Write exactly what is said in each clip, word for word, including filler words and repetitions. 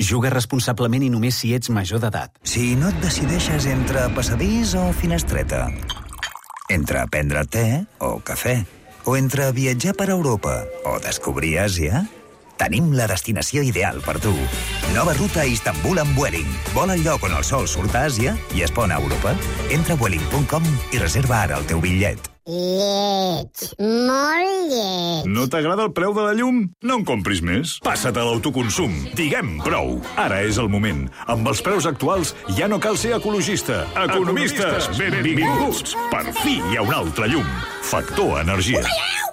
Juga responsablement i només si ets major d'edat. Si no et decideixes entre passadís o finestreta, entre prendre te o cafè, o entre viatjar per Europa o descobrir Àsia, tenim la destinació ideal per tu. Nova ruta a Istanbul amb Vueling. Vola al lloc on el sol surt a Àsia i es pon a Europa. Entra a vueling punt com i reserva ara el teu bitllet. Lleig, molt lleig. No t'agrada el preu de la llum? No en compris més. Passa't a l'autoconsum. Diguem prou. Ara és el moment. Amb els preus actuals ja no cal ser ecologista. Economistes, benvinguts. Per fi hi ha un altre llum. Factor Energia.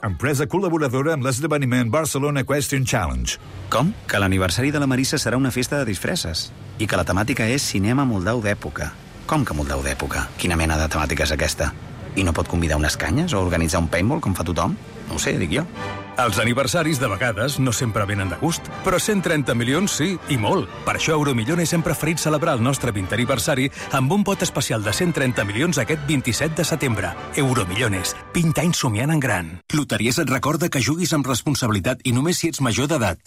Empresa col·laboradora amb l'esdeveniment Barcelona Equestrian Challenge. Com? Que l'aniversari de la Marissa serà una festa de disfresses. I que la temàtica és cinema moldau d'època. Com que moldau d'època? Quina mena de temàtica és aquesta? I no pot convidar unes canyes o organitzar un paintball com fa tothom? No ho sé, dic jo. Els aniversaris de vegades no sempre venen de gust, però cent trenta milions sí, i molt. Per això Euromillones hem preferit celebrar el nostre vintè aniversari amb un pot especial de cent trenta milions aquest vint-i-set de setembre. Euromillones, vint anys somiant en gran. Loteries et recorda que juguis amb responsabilitat i només si ets major d'edat.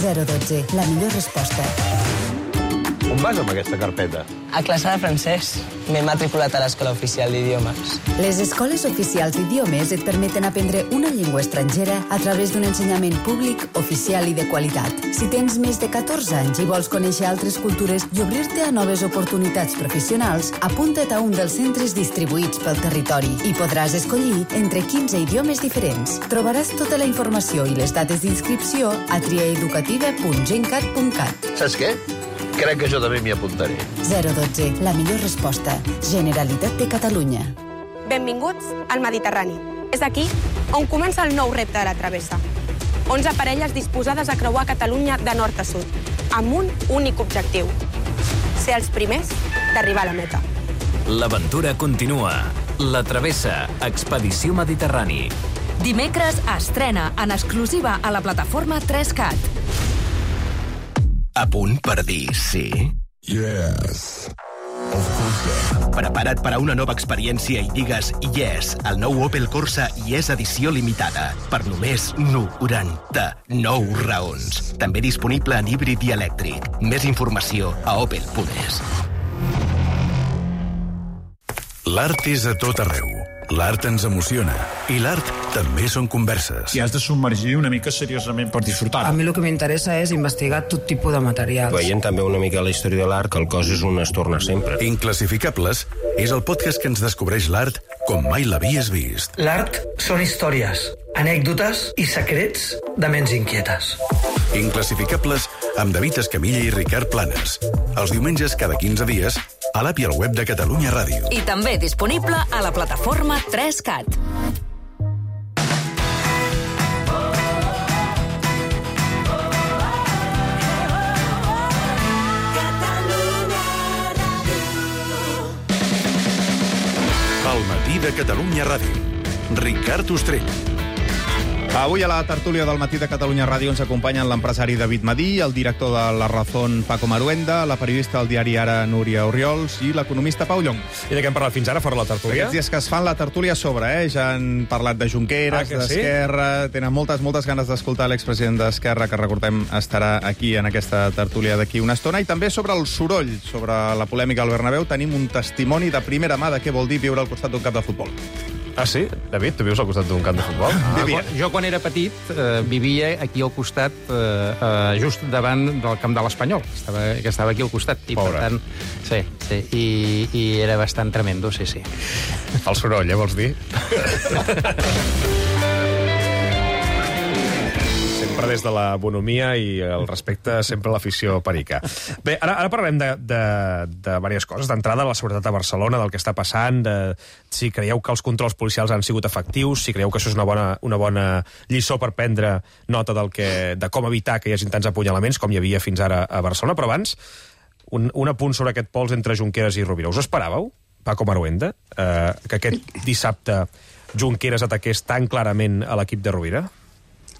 zero dotze, la millor resposta. On vas amb aquesta carpeta? A classe de francès. M'he matriculat a l'Escola Oficial d'Idiomes. Les escoles oficials d'idiomes et permeten aprendre una llengua estrangera a través d'un ensenyament públic, oficial i de qualitat. Si tens més de catorze anys i vols conèixer altres cultures i obrir-te a noves oportunitats professionals, apunta't a un dels centres distribuïts pel territori i podràs escollir entre quinze idiomes diferents. Trobaràs tota la informació i les dates d'inscripció a triaeducativa punt gencat punt cat. Saps què? Crec que jo també m'hi apuntaré. zero dotze, la millor resposta. Generalitat de Catalunya. Benvinguts al Mediterrani. És aquí on comença el nou repte de la travessa. onze parelles disposades a creuar Catalunya de nord a sud, amb un únic objectiu: ser els primers d'arribar a la meta. L'aventura continua. La travessa, Expedició Mediterrani. Dimecres estrena en exclusiva a la plataforma tres cat. A punt per dir sí? Yes. Prepara't per a una nova experiència i digues yes al nou Opel Corsa Yes edició limitada per només noranta-nou raons. També disponible en híbrid i elèctric. Més informació a opel punt es. L'art és a tot arreu. L'art ens emociona. I l'art també són converses. I has de submergir una mica seriosament per disfrutar. A mi el que m'interessa és investigar tot tipus de materials. Veient també una mica la història de l'art, que el cos és un es torna sempre. Inclassificables és el podcast que ens descobreix l'art com mai l'havies vist. L'art són històries, anècdotes i secrets de ments inquietes. Inclassificables amb David Escamilla i Ricard Planes. Els diumenges cada quinze dies a l'app i al web de Catalunya Ràdio. I també disponible a la plataforma tres cat. Al matí de Catalunya Ràdio. Ricard Ostrell. Avui a la tertúlia del Matí de Catalunya Ràdio ens acompanyen l'empresari David Madí, el director de La Razón Paco Maruenda, la periodista del diari Ara Núria Oriols i l'economista Pau Llong. I de què hem parlat fins ara fora la tertúlia? Aquests dies que es fan la tertúlia a sobre, eh? Ja han parlat de Junqueras, ah, d'Esquerra, sí? Tenen moltes, moltes ganes d'escoltar l'expresident d'Esquerra, que recordem estarà aquí en aquesta tertúlia d'aquí una estona, i també sobre el soroll, sobre la polèmica al Bernabéu, tenim un testimoni de primera mà de què vol dir viure al costat d'un camp de futbol. Ah, sí? David, tu vius al costat d'un camp de futbol? Ah, quan, jo, quan era petit, eh, vivia aquí al costat, eh, eh, just davant del camp de l'Espanyol, que estava, que estava aquí al costat. I, Pobre. per tant, sí, sí, i, i era bastant tremendo, sí, sí. El soroll, eh, vols dir? Sempre des de la bonomia i el respecte sempre a l'afició perica. Bé, ara, ara parlarem de, de, de diverses coses. D'entrada, la seguretat a Barcelona, del que està passant, de si creieu que els controls policials han sigut efectius, si creieu que això és una bona, una bona lliçó per prendre nota del que, de com evitar que hi hagi tants apunyalaments com hi havia fins ara a Barcelona. Però abans, un, un apunt sobre aquest pols entre Junqueras i Rovira. Us esperàveu, Paco Maruenda, eh, que aquest dissabte Junqueras ataqués tan clarament a l'equip de Rovira?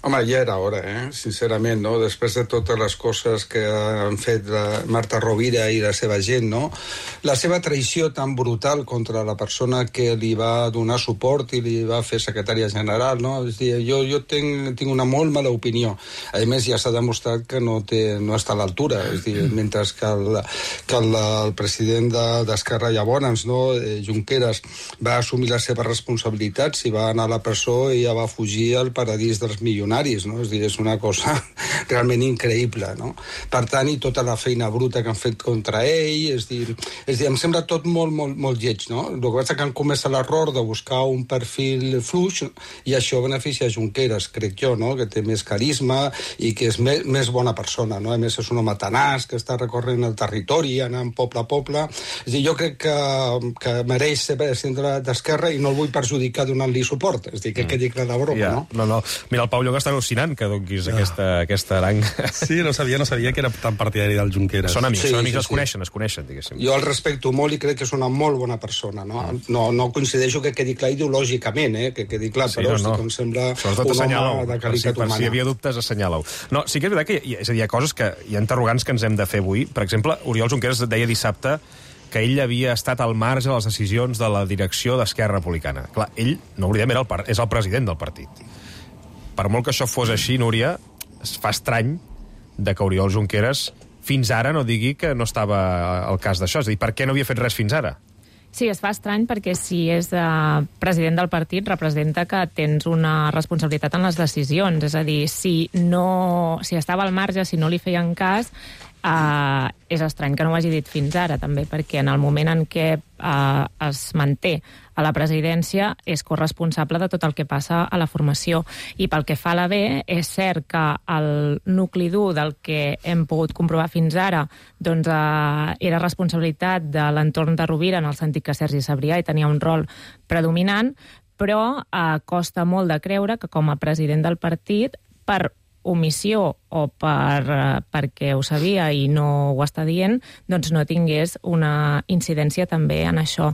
Home, ja era hora, eh? Sincerament, no? Després de totes les coses que han fet la Marta Rovira i la seva gent, no? La seva traïció tan brutal contra la persona que li va donar suport i li va fer secretària general, no? És dir, jo, jo tinc, tinc una molt mala opinió. A més, ja s'ha demostrat que no, té, no està a l'altura. És dir, mentre que el, que el, el president d'Esquerra de, llavors, no? Junqueras, va assumir les seves responsabilitats i va anar a la presó i ja va fugir al paradís dels milionaris. No? És dir, és una cosa realment increïble, no? Per tant, i tota la feina bruta que han fet contra ell, és dir, és dir em sembla tot molt, molt, molt lleig, no? El que passa que han comès l'error de buscar un perfil fluix i això beneficia a Junqueras, crec jo, no? Que té més carisma i que és més, més bona persona, no? A més, és un home tenaç que està recorrent el territori, anant poble a poble. És dir, jo crec que, que mereix ser president d'Esquerra i no el vull perjudicar donant-li suport. És dir, que quedi clar la broma, ja, no? No, no. Mira, el Pau Lloga està al·lucinant que donquis no. aquesta, aquesta aranga. Sí, no sabia, no sabia que era tan partidari del Junqueras. Són amics, sí, són amics, sí, es sí. coneixen, es coneixen, diguéssim. Jo el respecto molt i crec que és una molt bona persona, no? No, no coincideixo que quedi clar ideològicament, eh? Que quedi clar, sí, però no, no. Sí que em sembla un home de qualitat per humana. Si hi havia dubtes, assenyala-ho. No, sí que és veritat que hi ha, és a dir, hi ha coses que hi ha interrogants que ens hem de fer avui. Per exemple, Oriol Junqueras deia dissabte que ell havia estat al marge de les decisions de la direcció d'Esquerra Republicana. Clar, ell, no oblidem, era el, és el president del partit. Per molt que això fos així, Núria, es fa estrany de que Oriol Junqueras fins ara no digui que no estava al cas d'això. És a dir, per què no havia fet res fins ara? Sí, es fa estrany perquè si és uh, president del partit representa que tens una responsabilitat en les decisions. És a dir, si, no, si estava al marge, si no li feien cas, Uh, és estrany que no ho hagi dit fins ara, també, perquè en el moment en què uh, es manté a la presidència és corresponsable de tot el que passa a la formació. I pel que fa a la B, és cert que el nucli dur del que hem pogut comprovar fins ara doncs, uh, era responsabilitat de l'entorn de Rovira, en el sentit que Sergi Sabrià hi tenia un rol predominant, però uh, costa molt de creure que com a president del partit, per omissió o per, uh, perquè ho sabia i no ho està dient, doncs no tingués una incidència també en això.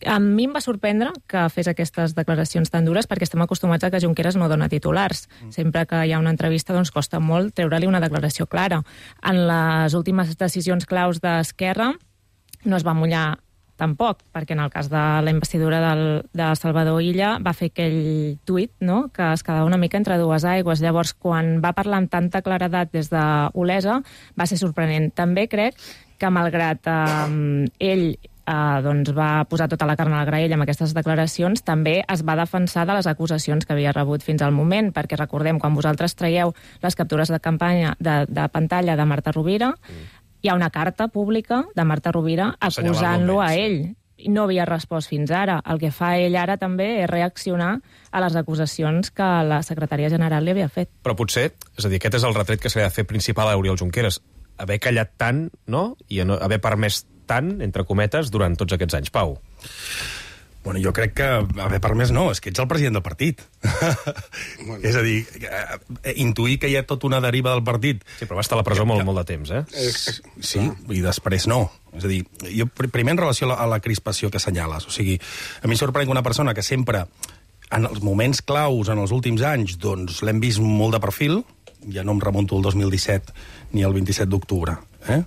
A mi em va sorprendre que fes aquestes declaracions tan dures perquè estem acostumats a que Junqueras no dona titulars. Sempre que hi ha una entrevista doncs costa molt treure-li una declaració clara. En les últimes decisions claus d'Esquerra no es va mullar tampoc, perquè en el cas de la investidura del, de Salvador Illa va fer aquell tuit, no?, que es quedava una mica entre dues aigües. Llavors, quan va parlar amb tanta claredat des d'Olesa, va ser sorprenent. També crec que, malgrat eh, ell eh, doncs va posar tota la carn a la graella amb aquestes declaracions, també es va defensar de les acusacions que havia rebut fins al moment, perquè recordem, quan vosaltres traieu les captures de campanya de, de pantalla de Marta Rovira, mm. hi ha una carta pública de Marta Rovira acusant-lo a ell. No havia respost fins ara. El que fa ell ara també és reaccionar a les acusacions que la secretària general li havia fet. Però potser, és a dir, aquest és el retret que s'ha de fer principal a Oriol Junqueras. Haver callat tant, no?, i no, haver permès tant, entre cometes, durant tots aquests anys. Pau. Bueno, jo crec que haver permès no, és que ets el president del partit. Bueno. És a dir, intuir que hi ha tota una deriva del partit... Sí, però va estar a la presó que, molt, molt de temps, eh? Sí, i després no. És a dir, jo primer en relació a la, a la crispació que assenyales. O sigui, a mi sorprèn que una persona que sempre, en els moments claus, en els últims anys, doncs l'hem vist molt de perfil, ja no em remunto el dos mil disset ni el vint-i-set d'octubre, eh?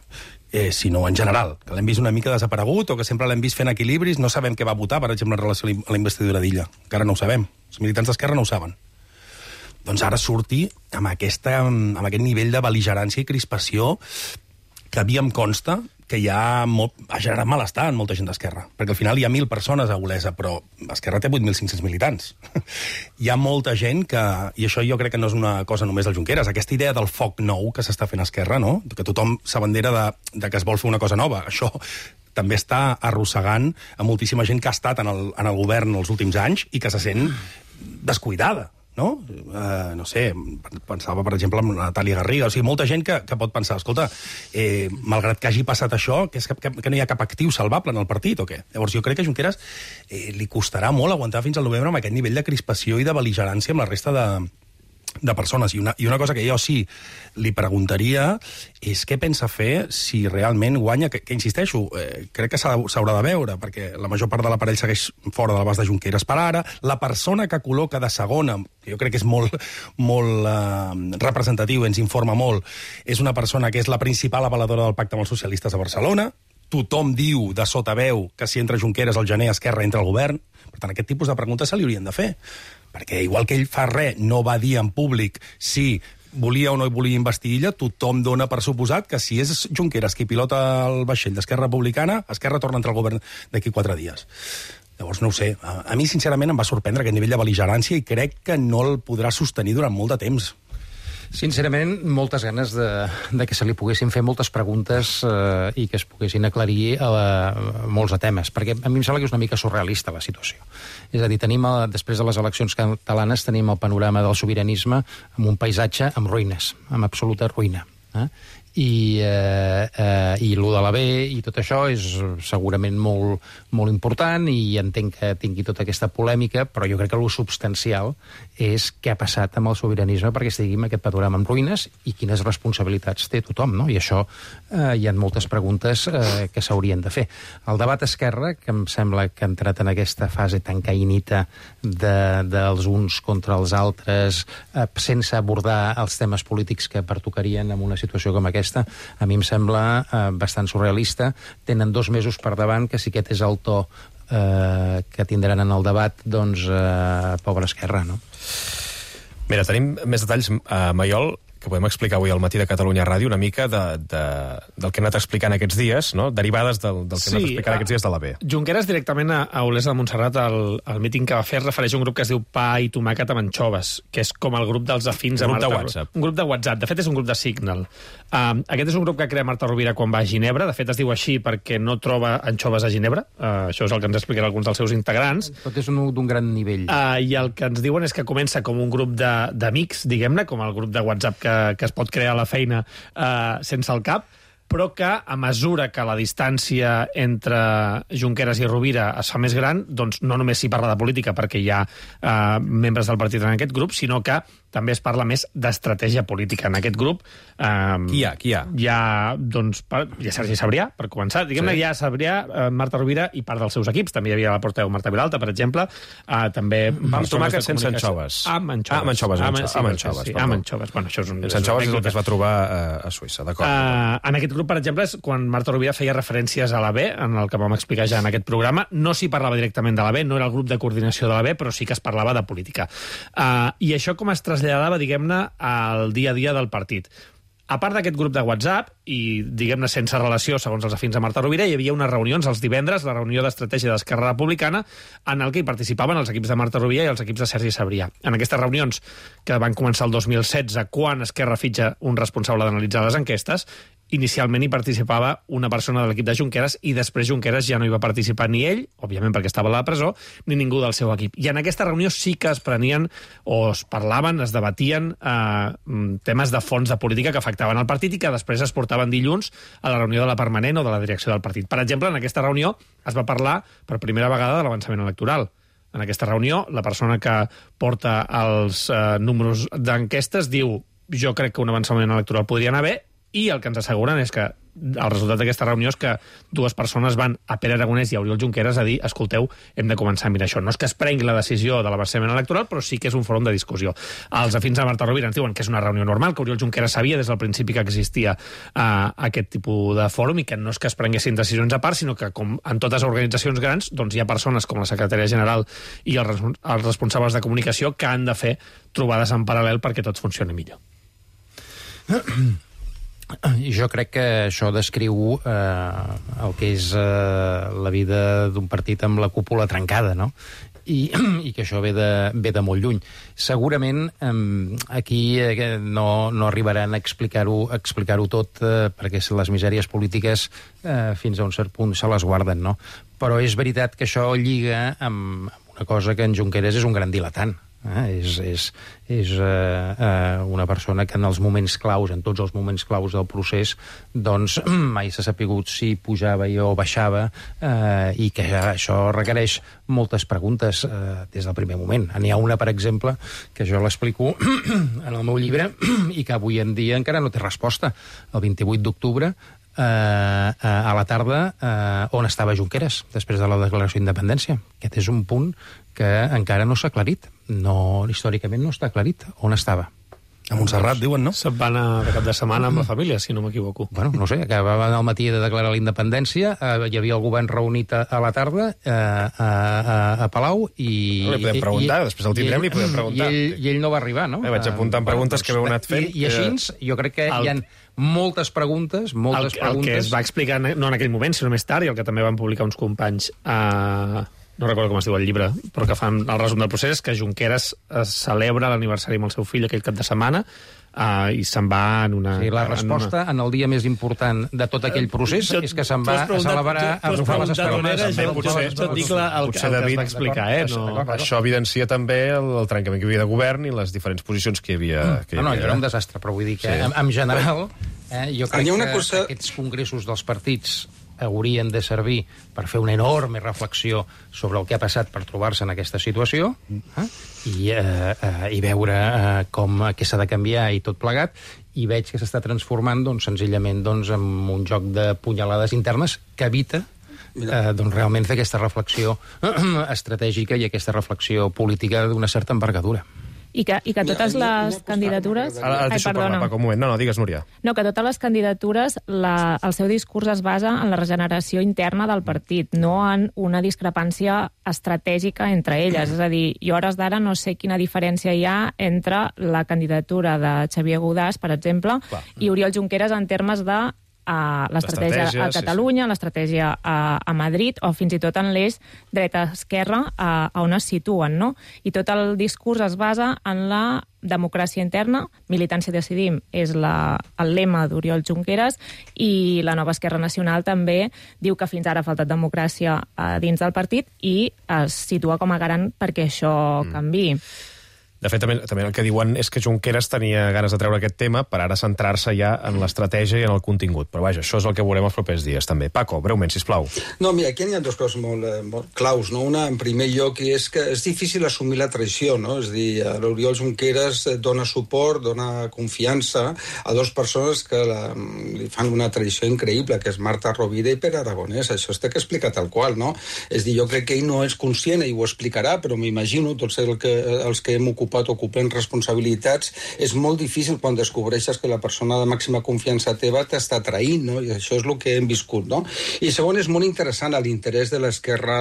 Eh, sinó en general, que l'hem vist una mica desaparegut o que sempre l'hem vist fent equilibris, no sabem què va votar, per exemple, en relació a la investidura d'Illa. Encara no ho sabem. Els militants d'Esquerra no ho saben. Doncs ara surti amb, aquesta, amb aquest nivell de bel·ligerància i crispació que a mi em consta que ja molt, ha generat malestar en molta gent d'Esquerra. Perquè al final hi ha mil persones a Olesa, però Esquerra té vuit mil cinc-cents militants. Hi ha molta gent que... I això jo crec que no és una cosa només del Junqueras. Aquesta idea del foc nou que s'està fent a Esquerra, no?, que tothom s'abandera de, de que es vol fer una cosa nova. Això també està arrossegant a moltíssima gent que ha estat en el, en el govern els últims anys i que se sent descuidada. No? Uh, no sé, pensava, per exemple, en Natàlia Garriga. O sigui, molta gent que, que pot pensar, escolta, eh, malgrat que hagi passat això, que, és que, que no hi ha cap actiu salvable en el partit, o què? Llavors, jo crec que a Junqueras eh, li costarà molt aguantar fins al novembre amb aquest nivell de crispació i de bel·ligerància amb la resta de, de persones. I una, I una cosa que jo sí li preguntaria és què pensa fer si realment guanya, que, que insisteixo, eh, crec que s'haurà de veure, perquè la major part de l'aparell segueix fora de l'abast de Junqueras per ara. La persona que col·loca de segona, que jo crec que és molt, molt eh, representatiu, ens informa molt, és una persona que és la principal avaladora del pacte amb els socialistes a Barcelona. Tothom diu de sota veu que si entra Junqueras al gener Esquerra entra al govern. Per tant, aquest tipus de preguntes se li haurien de fer. Perquè igual que ell fa res, no va dir en públic si volia o no volia investir Illa, tothom dona per suposat que si és Junqueras qui pilota el vaixell d'Esquerra Republicana, Esquerra torna a entrar al govern d'aquí quatre dies. Llavors, no ho sé. A, a mi, sincerament, em va sorprendre aquest nivell de bel·ligerància i crec que no el podrà sostenir durant molt de temps. Sincerament, moltes ganes de, de que se li poguessin fer moltes preguntes eh, i que es poguessin aclarir a, la, a molts de temes, perquè a mi em sembla que és una mica surrealista la situació. És a dir, tenim, a, després de les eleccions catalanes, tenim el panorama del sobiranisme amb un paisatge amb ruïnes, amb absoluta ruïna. Eh? I, eh, eh, i lo de la B i tot això és segurament molt, molt important i entenc que tingui tota aquesta polèmica, però jo crec que lo substancial és què ha passat amb el sobiranisme perquè estigui en aquest panorama en ruïnes i quines responsabilitats té tothom, no? I això eh, hi ha moltes preguntes eh, que s'haurien de fer. El debat Esquerra, que em sembla que ha entrat en aquesta fase tan caïnita de, dels uns contra els altres, eh, sense abordar els temes polítics que pertocarien en una situació com aquesta, a mi em sembla eh, bastant surrealista. Tenen dos mesos per davant, que si aquest és el to eh, que tindran en el debat, doncs, eh, pobra Esquerra, no? Mira, tenim més detalls a Maiol, que podem explicar avui al Matí de Catalunya Ràdio, una mica de, de, del que hem anat explicant aquests dies, no? Derivades del, del que sí, hem anat explicant aquests dies de la B. Junqueras directament a, a Olesa de Montserrat, al, al míting que va fer, es refereix a un grup que es diu Pa i Tomàquet amb anxoves, que és com el grup dels afins a Marta... Marta... de WhatsApp. Un grup de WhatsApp. De fet, és un grup de Signal. Uh, aquest és un grup que crea Marta Rovira quan va a Ginebra. De fet, es diu així perquè no troba anxoves a Ginebra. Uh, això és el que ens expliquen alguns dels seus integrants. Tot és d'un gran nivell. Uh, I el que ens diuen és que comença com un grup d'amics, diguem-ne, com el grup de WhatsApp que, que es pot crear a la feina eh, sense el cap, però que a mesura que la distància entre Junqueras i Rovira es fa més gran, doncs no només s'hi parla de política perquè hi ha eh, membres del partit en aquest grup, sinó que també es parla més d'estratègia política. En aquest grup... Eh, qui hi ha? Qui hi ha? Hi ha, doncs, per, hi ha Sergi Sabrià, per començar. Diguem-ne, sí. Hi ha Sabrià, eh, Marta Rovira i part dels seus equips. També hi havia la portaveu Marta Vilalta, per exemple. Eh, també... Amb tomàquet sense anxoves. Amb anxoves. Ah, amb anxoves. Amb, sí, amb anxoves. Sí, amb anxoves. Bueno, això és un... Els anxoves és el que es va trobar uh, a Suïssa, d'acord. Uh, en aquest grup, per exemple, és quan Marta Rovira feia referències a la B, en el que vam explicar ja en aquest programa. No s'hi parlava directament de la B, no era el grup de coordinació de la B, però sí que es parlava de política. Uh, I això com es traslladava, diguem-ne, al dia a dia del partit. A part d'aquest grup de WhatsApp, i diguem-ne sense relació, segons els afins a Marta Rovira, hi havia unes reunions els divendres, la reunió d'estratègia d'Esquerra Republicana, en el que hi participaven els equips de Marta Rovira i els equips de Sergi Sabrià. En aquestes reunions, que van començar el dos mil setze, quan Esquerra fitxa un responsable d'analitzar les enquestes, inicialment hi participava una persona de l'equip de Junqueras i després Junqueras ja no hi va participar ni ell, òbviament perquè estava a la presó, ni ningú del seu equip. I en aquesta reunió sí que es prenien o es parlaven, es debatien eh, temes de fons de política que afectaven el partit i que després es portaven dilluns a la reunió de la permanent o de la direcció del partit. Per exemple, en aquesta reunió es va parlar per primera vegada de l'avançament electoral. En aquesta reunió, la persona que porta els eh, números d'enquestes diu jo crec que un avançament electoral podria anar bé, i el que ens asseguren és que el resultat d'aquesta reunió és que dues persones van a Pere Aragonès i a Oriol Junqueras a dir, escolteu, hem de començar a mirar això. No és que es prengui la decisió de l'avançament electoral, però sí que és un fòrum de discussió. Els afins de Marta Rovira ens diuen que és una reunió normal, que Oriol Junqueras sabia des del principi que existia uh, aquest tipus de fòrum i que no és que es prenguessin decisions a part, sinó que, com en totes les organitzacions grans, doncs hi ha persones com la secretària general i els, res els responsables de comunicació que han de fer trobades en paral·lel perquè tot funcioni millor. Jo crec que això descriu eh, el que és eh, la vida d'un partit amb la cúpula trencada, no? I, i que això ve de, ve de molt lluny. Segurament eh, aquí eh, no, no arribaran a explicar-ho explicar-ho tot eh, perquè les misèries polítiques eh, fins a un cert punt se les guarden, no? Però és veritat que això lliga amb una cosa que en Junqueras és un gran diletant. Eh? És, és, és eh, eh, una persona que en els moments claus, en tots els moments claus del procés, doncs mai s'ha sapigut si pujava o baixava, eh, i que això requereix moltes preguntes eh, des del primer moment. N'hi ha una, per exemple, que jo l'explico en el meu llibre i que avui en dia encara no té resposta. El vint-i-vuit d'octubre, eh, a la tarda, eh, on estava Junqueras després de la declaració d'independència. Aquest és un punt que encara no s'ha aclarit. No, històricament no està aclarit on estava. A Montserrat, diuen, no? Se'n van a de cap de setmana amb la família, si no m'equivoco. Bueno, no sé, acabaven al matí de declarar la independència, eh, hi havia el govern reunit a, a la tarda eh, a, a, a Palau i... No, li podem preguntar, i, després el tindrem, li podem preguntar. I ell, i ell no va arribar, no? Eh, vaig apuntant preguntes que heu anat fent. I, i així, jo crec que el... hi ha moltes preguntes, moltes el, preguntes... El que es va explicar, no en aquell moment, sinó més tard, i el que també van publicar uns companys a... no recordo com es diu el llibre, però que fan el resum del procés, és que Junqueras celebra l'aniversari amb el seu fill aquell cap de setmana uh, i se'n va en una... Sí, la resposta en, una... en el dia més important de tot aquell procés uh, és que se'n va a celebrar a agafar les espelmes. Potser David va explicar, eh? No... Això evidencia també el, el trencament que hi havia de govern i les diferents posicions que hi havia. Que hi havia. No, no, era un desastre, però vull dir que sí. en, en general eh, jo crec que cosa... aquests congressos dels partits haurien de servir per fer una enorme reflexió sobre el que ha passat per trobar-se en aquesta situació eh? I, eh, eh, i veure eh, com, què s'ha de canviar i tot plegat, i veig que s'està transformant doncs, senzillament doncs, en un joc de punyalades internes que evita eh, doncs, realment fer aquesta reflexió estratègica i aquesta reflexió política d'una certa envergadura. I que, i que totes les candidatures... Ara, ara Ai, perdona. Parlar, un moment. No, no, digues, Núria. No, que totes les candidatures, la, el seu discurs es basa en la regeneració interna del partit, no en una discrepància estratègica entre elles. És a dir, jo a hores d'ara no sé quina diferència hi ha entre la candidatura de Xavier Godàs, per exemple, Clar. i Oriol Junqueras en termes de a l'estratègia a Catalunya, sí, sí. l'estratègia a, a Madrid, o fins i tot en l'eix dreta-esquerra a, a on es situen, no? I tot el discurs es basa en la democràcia interna, militància decidim és la, el lema d'Oriol Junqueras, i la Nova Esquerra Nacional també diu que fins ara ha faltat democràcia a dins del partit i es situa com a garant perquè això mm. canviï. De fet, també, també el que diuen és que Junqueras tenia ganes de treure aquest tema per ara centrar-se ja en l'estratègia i en el contingut. Però vaja, això és el que veurem els propers dies, també. Paco, breument, sisplau. No, mira, aquí hi ha dues coses molt, molt claus, no? Una, en primer lloc, és que és difícil assumir la traïció, no? És a dir, l'Oriol Junqueras dona suport, dona confiança a dues persones que la, li fan una traïció increïble, que és Marta Rovira i Pere Aragonès. Això es té que explicar tal qual, no? És a dir, jo crec que ell no és conscient i ho explicarà, però m'imagino, tots el que, els que hem ocupat ocupant responsabilitats, és molt difícil quan descobreixes que la persona de màxima confiança teva t'està traint, no? I això és el que hem viscut, no? I segon, és molt interessant l'interès de l'esquerra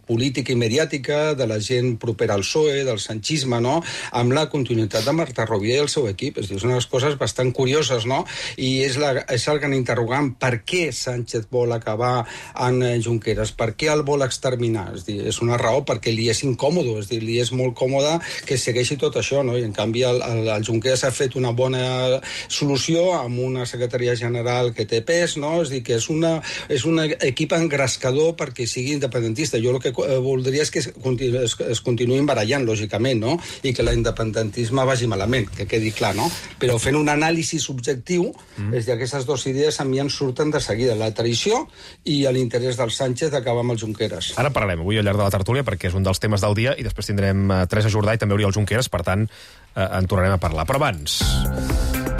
política i mediàtica, de la gent propera al P S O E, del sanchisme, no? Amb la continuïtat de Marta Rovira i el seu equip. És dir, són unes coses bastant curioses, no? I és, la, és el gran interrogant. Per què Sánchez vol acabar en Junqueras? Per què el vol exterminar? És dir, és una raó perquè li és incòmode, és dir, li és molt còmode que segueixi tot això, no? I en canvi el, el, el Junqueras ha fet una bona solució amb una secretaria general que té pes, no? És dir, que és, una, és un equip engrescador perquè sigui independentista. Jo el que voldria és que es, continu, es, es continuïn barallant, lògicament, no? I que l'independentisme vagi malament, que quedi clar, no? Però fent un anàlisi subjectiu, mm. és dir, aquestes dues idees a mi en surten de seguida, la traïció i l'interès del Sánchez d'acabar amb el Junqueras. Ara parlarem avui al llarg de la tertúlia perquè és un dels temes del dia i després tindrem uh, Teresa Jordà i també Oriol Junqueras, per tant, eh, en tornarem a parlar. Però abans,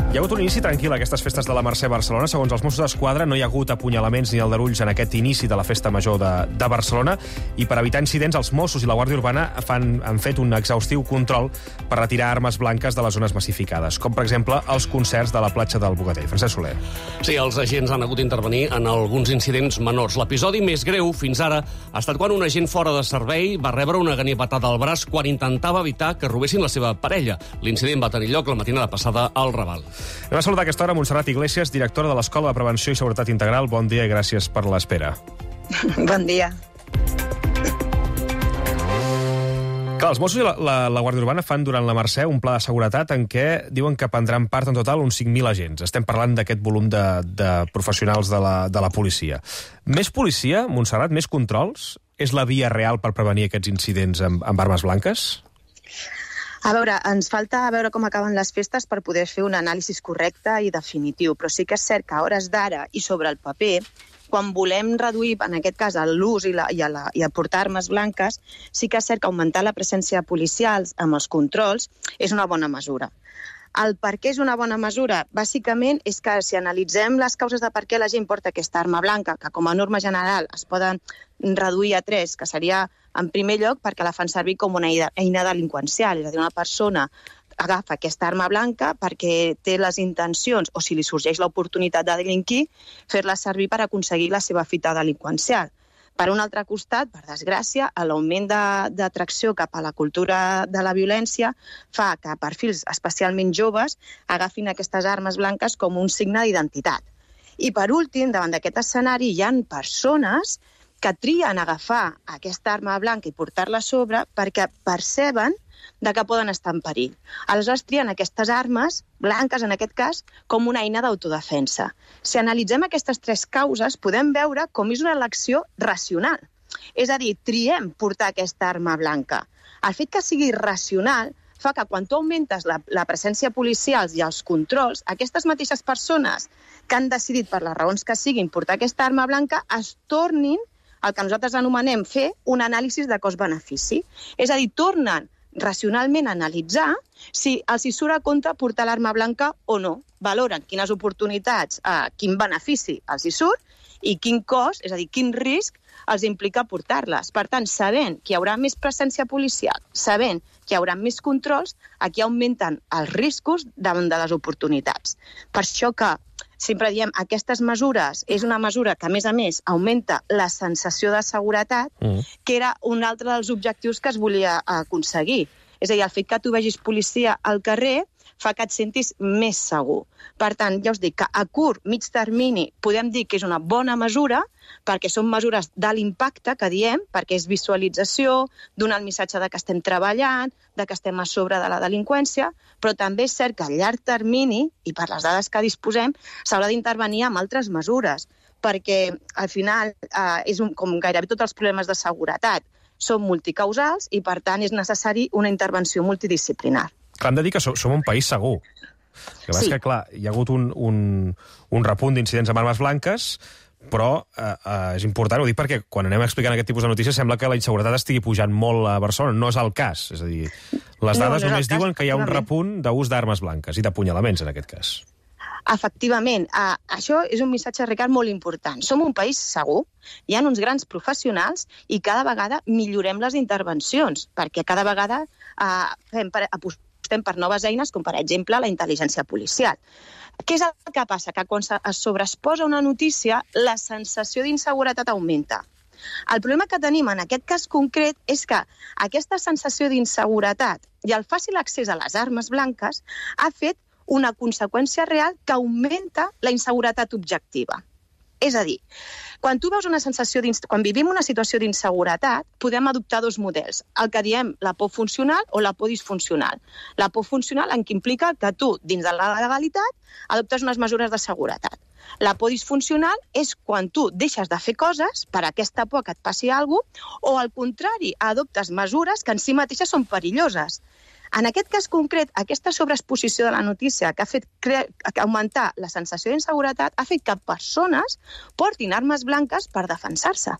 hi ha hagut un inici tranquil a aquestes festes de la Mercè a Barcelona. Segons els Mossos d'Esquadra, no hi ha hagut apunyalaments ni aldarulls en aquest inici de la festa major de, de Barcelona, i per evitar incidents, els Mossos i la Guàrdia Urbana fan, han fet un exhaustiu control per retirar armes blanques de les zones massificades, com per exemple els concerts de la platja del Bogatell. Francesc Soler. Sí, els agents han hagut d'intervenir en alguns incidents menors. L'episodi més greu fins ara ha estat quan un agent fora de servei va rebre una ganivetada al braç quan intentava evitar que robessin la seva parella. L'incident va tenir lloc la matinada passada al Raval. Anem a saludar aquesta hora Montserrat Iglesias, directora de l'Escola de Prevenció i Seguretat Integral. Bon dia i gràcies per l'espera. Bon dia. Clar, els Mossos i la, la, la Guàrdia Urbana fan durant la Mercè un pla de seguretat en què diuen que prendran part en total uns cinc mil agents. Estem parlant d'aquest volum de, de professionals de la, de la policia. Més policia, Montserrat, més controls? És la via real per prevenir aquests incidents amb, amb armes blanques? A veure, ens falta veure com acaben les festes per poder fer un anàlisi correcte i definitiu, però sí que és cert que a hores d'ara i sobre el paper, quan volem reduir, en aquest cas, l'ús i, la, i, la, i aportar armes blanques, sí que és cert que augmentar la presència policial amb els controls és una bona mesura. El per què és una bona mesura? Bàsicament és que si analitzem les causes de per què la gent porta aquesta arma blanca, que com a norma general es poden reduir a tres, que seria, en primer lloc, perquè la fan servir com una eina delinqüencial, és a dir, una persona agafa aquesta arma blanca perquè té les intencions, o si li sorgeix l'oportunitat de delinquir, fer-la servir per aconseguir la seva fita delinqüencial. Per un altre costat, per desgràcia, l'augment d'atracció cap a la cultura de la violència fa que perfils especialment joves agafin aquestes armes blanques com un signe d'identitat. I per últim, davant d'aquest escenari, hi ha persones que trien agafar aquesta arma blanca i portar-la a sobre perquè perceben de que poden estar en perill. Aleshores trien aquestes armes, blanques en aquest cas, com una eina d'autodefensa. Si analitzem aquestes tres causes, podem veure com és una elecció racional. És a dir, triem portar aquesta arma blanca. El fet que sigui racional fa que quan tu augmentes la, la presència policial i els controls, aquestes mateixes persones que han decidit per les raons que siguin portar aquesta arma blanca es tornin el que nosaltres anomenem fer un anàlisi de cost-benefici. És a dir, tornen racionalment a analitzar si els hi surt a compte portar l'arma blanca o no. Valoren quines oportunitats, eh, quin benefici els hi surt i quin cost, és a dir, quin risc els implica portar-les. Per tant, sabent que hi haurà més presència policial, sabent que hi haurà més controls, aquí augmenten els riscos davant de les oportunitats. Per això que sempre diem, aquestes mesures és una mesura que, a més a més, augmenta la sensació de seguretat, mm. que era un altre dels objectius que es volia aconseguir. És a dir, el fet que tu vegis policia al carrer fa que et sentis més segur. Per tant, ja us dic que a curt, mig termini, podem dir que és una bona mesura, perquè són mesures de l'impacte, que diem, perquè és visualització, donar el missatge de que estem treballant, de que estem a sobre de la delinqüència, però també és cert que a llarg termini, i per les dades que disposem, s'haurà d'intervenir amb altres mesures, perquè al final, eh, és un, com gairebé tots els problemes de seguretat, són multicausals i, per tant, és necessari una intervenció multidisciplinar. Hem de dir que som, som un país segur. Que sí. Que, clar, hi ha hagut un, un, un repunt d'incidents amb armes blanques, però eh, eh, és important, ho dic perquè quan anem explicant aquest tipus de notícies sembla que la inseguretat estigui pujant molt a Barcelona. No és el cas. És a dir, les dades no, no només diuen que hi ha un repunt d'ús d'armes blanques i d'apunyalaments, en aquest cas. Efectivament, eh, això és un missatge, Ricard, molt important. Som un país segur, hi ha uns grans professionals i cada vegada millorem les intervencions, perquè cada vegada eh, fem per, apostem per noves eines, com per exemple la intel·ligència policial. Què és el que passa? Que quan es sobreexposa una notícia, la sensació d'inseguretat augmenta. El problema que tenim en aquest cas concret és que aquesta sensació d'inseguretat i el fàcil accés a les armes blanques ha fet una conseqüència real que augmenta la inseguretat objectiva. És a dir, quan tu veus una sensació quan vivim una situació d'inseguretat, podem adoptar dos models, el que diem la por funcional o la por disfuncional. La por funcional en què implica que tu, dins de la legalitat, adoptes unes mesures de seguretat. La por disfuncional és quan tu deixes de fer coses per aquesta por que et passi alguna cosa, o al contrari, adoptes mesures que en si mateixes són perilloses. En aquest cas concret, aquesta sobreexposició de la notícia que ha fet cre... que augmentar la sensació d'inseguretat ha fet que persones portin armes blanques per defensar-se.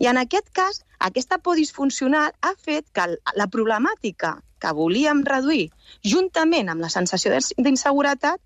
I en aquest cas, aquesta por disfuncional ha fet que la problemàtica que volíem reduir, juntament amb la sensació d'inseguretat,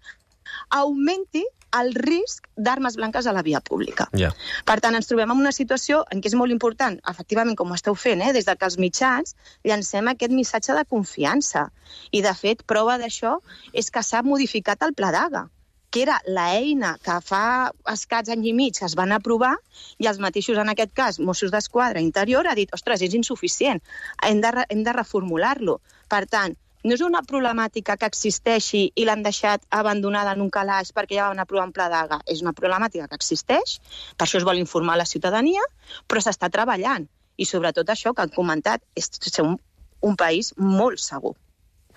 augmenti el risc d'armes blanques a la via pública. Yeah. Per tant, ens trobem en una situació en què és molt important, efectivament, com ho esteu fent, eh, des de que els mitjans llancem aquest missatge de confiança. I, de fet, prova d'això és que s'ha modificat el Pla d'Haga, que era l'eina que fa escats any i mig que es van aprovar, i els mateixos, en aquest cas, Mossos d'Esquadra, Interior, ha dit, ostres, és insuficient, hem de, hem de reformular-lo. Per tant, no és una problemàtica que existeixi i l'han deixat abandonada en un calaix perquè ja van aprovar un Pla d'Haga. És una problemàtica que existeix, per això es vol informar la ciutadania, però s'està treballant. I sobretot això que han comentat, és ser un, un país molt segur.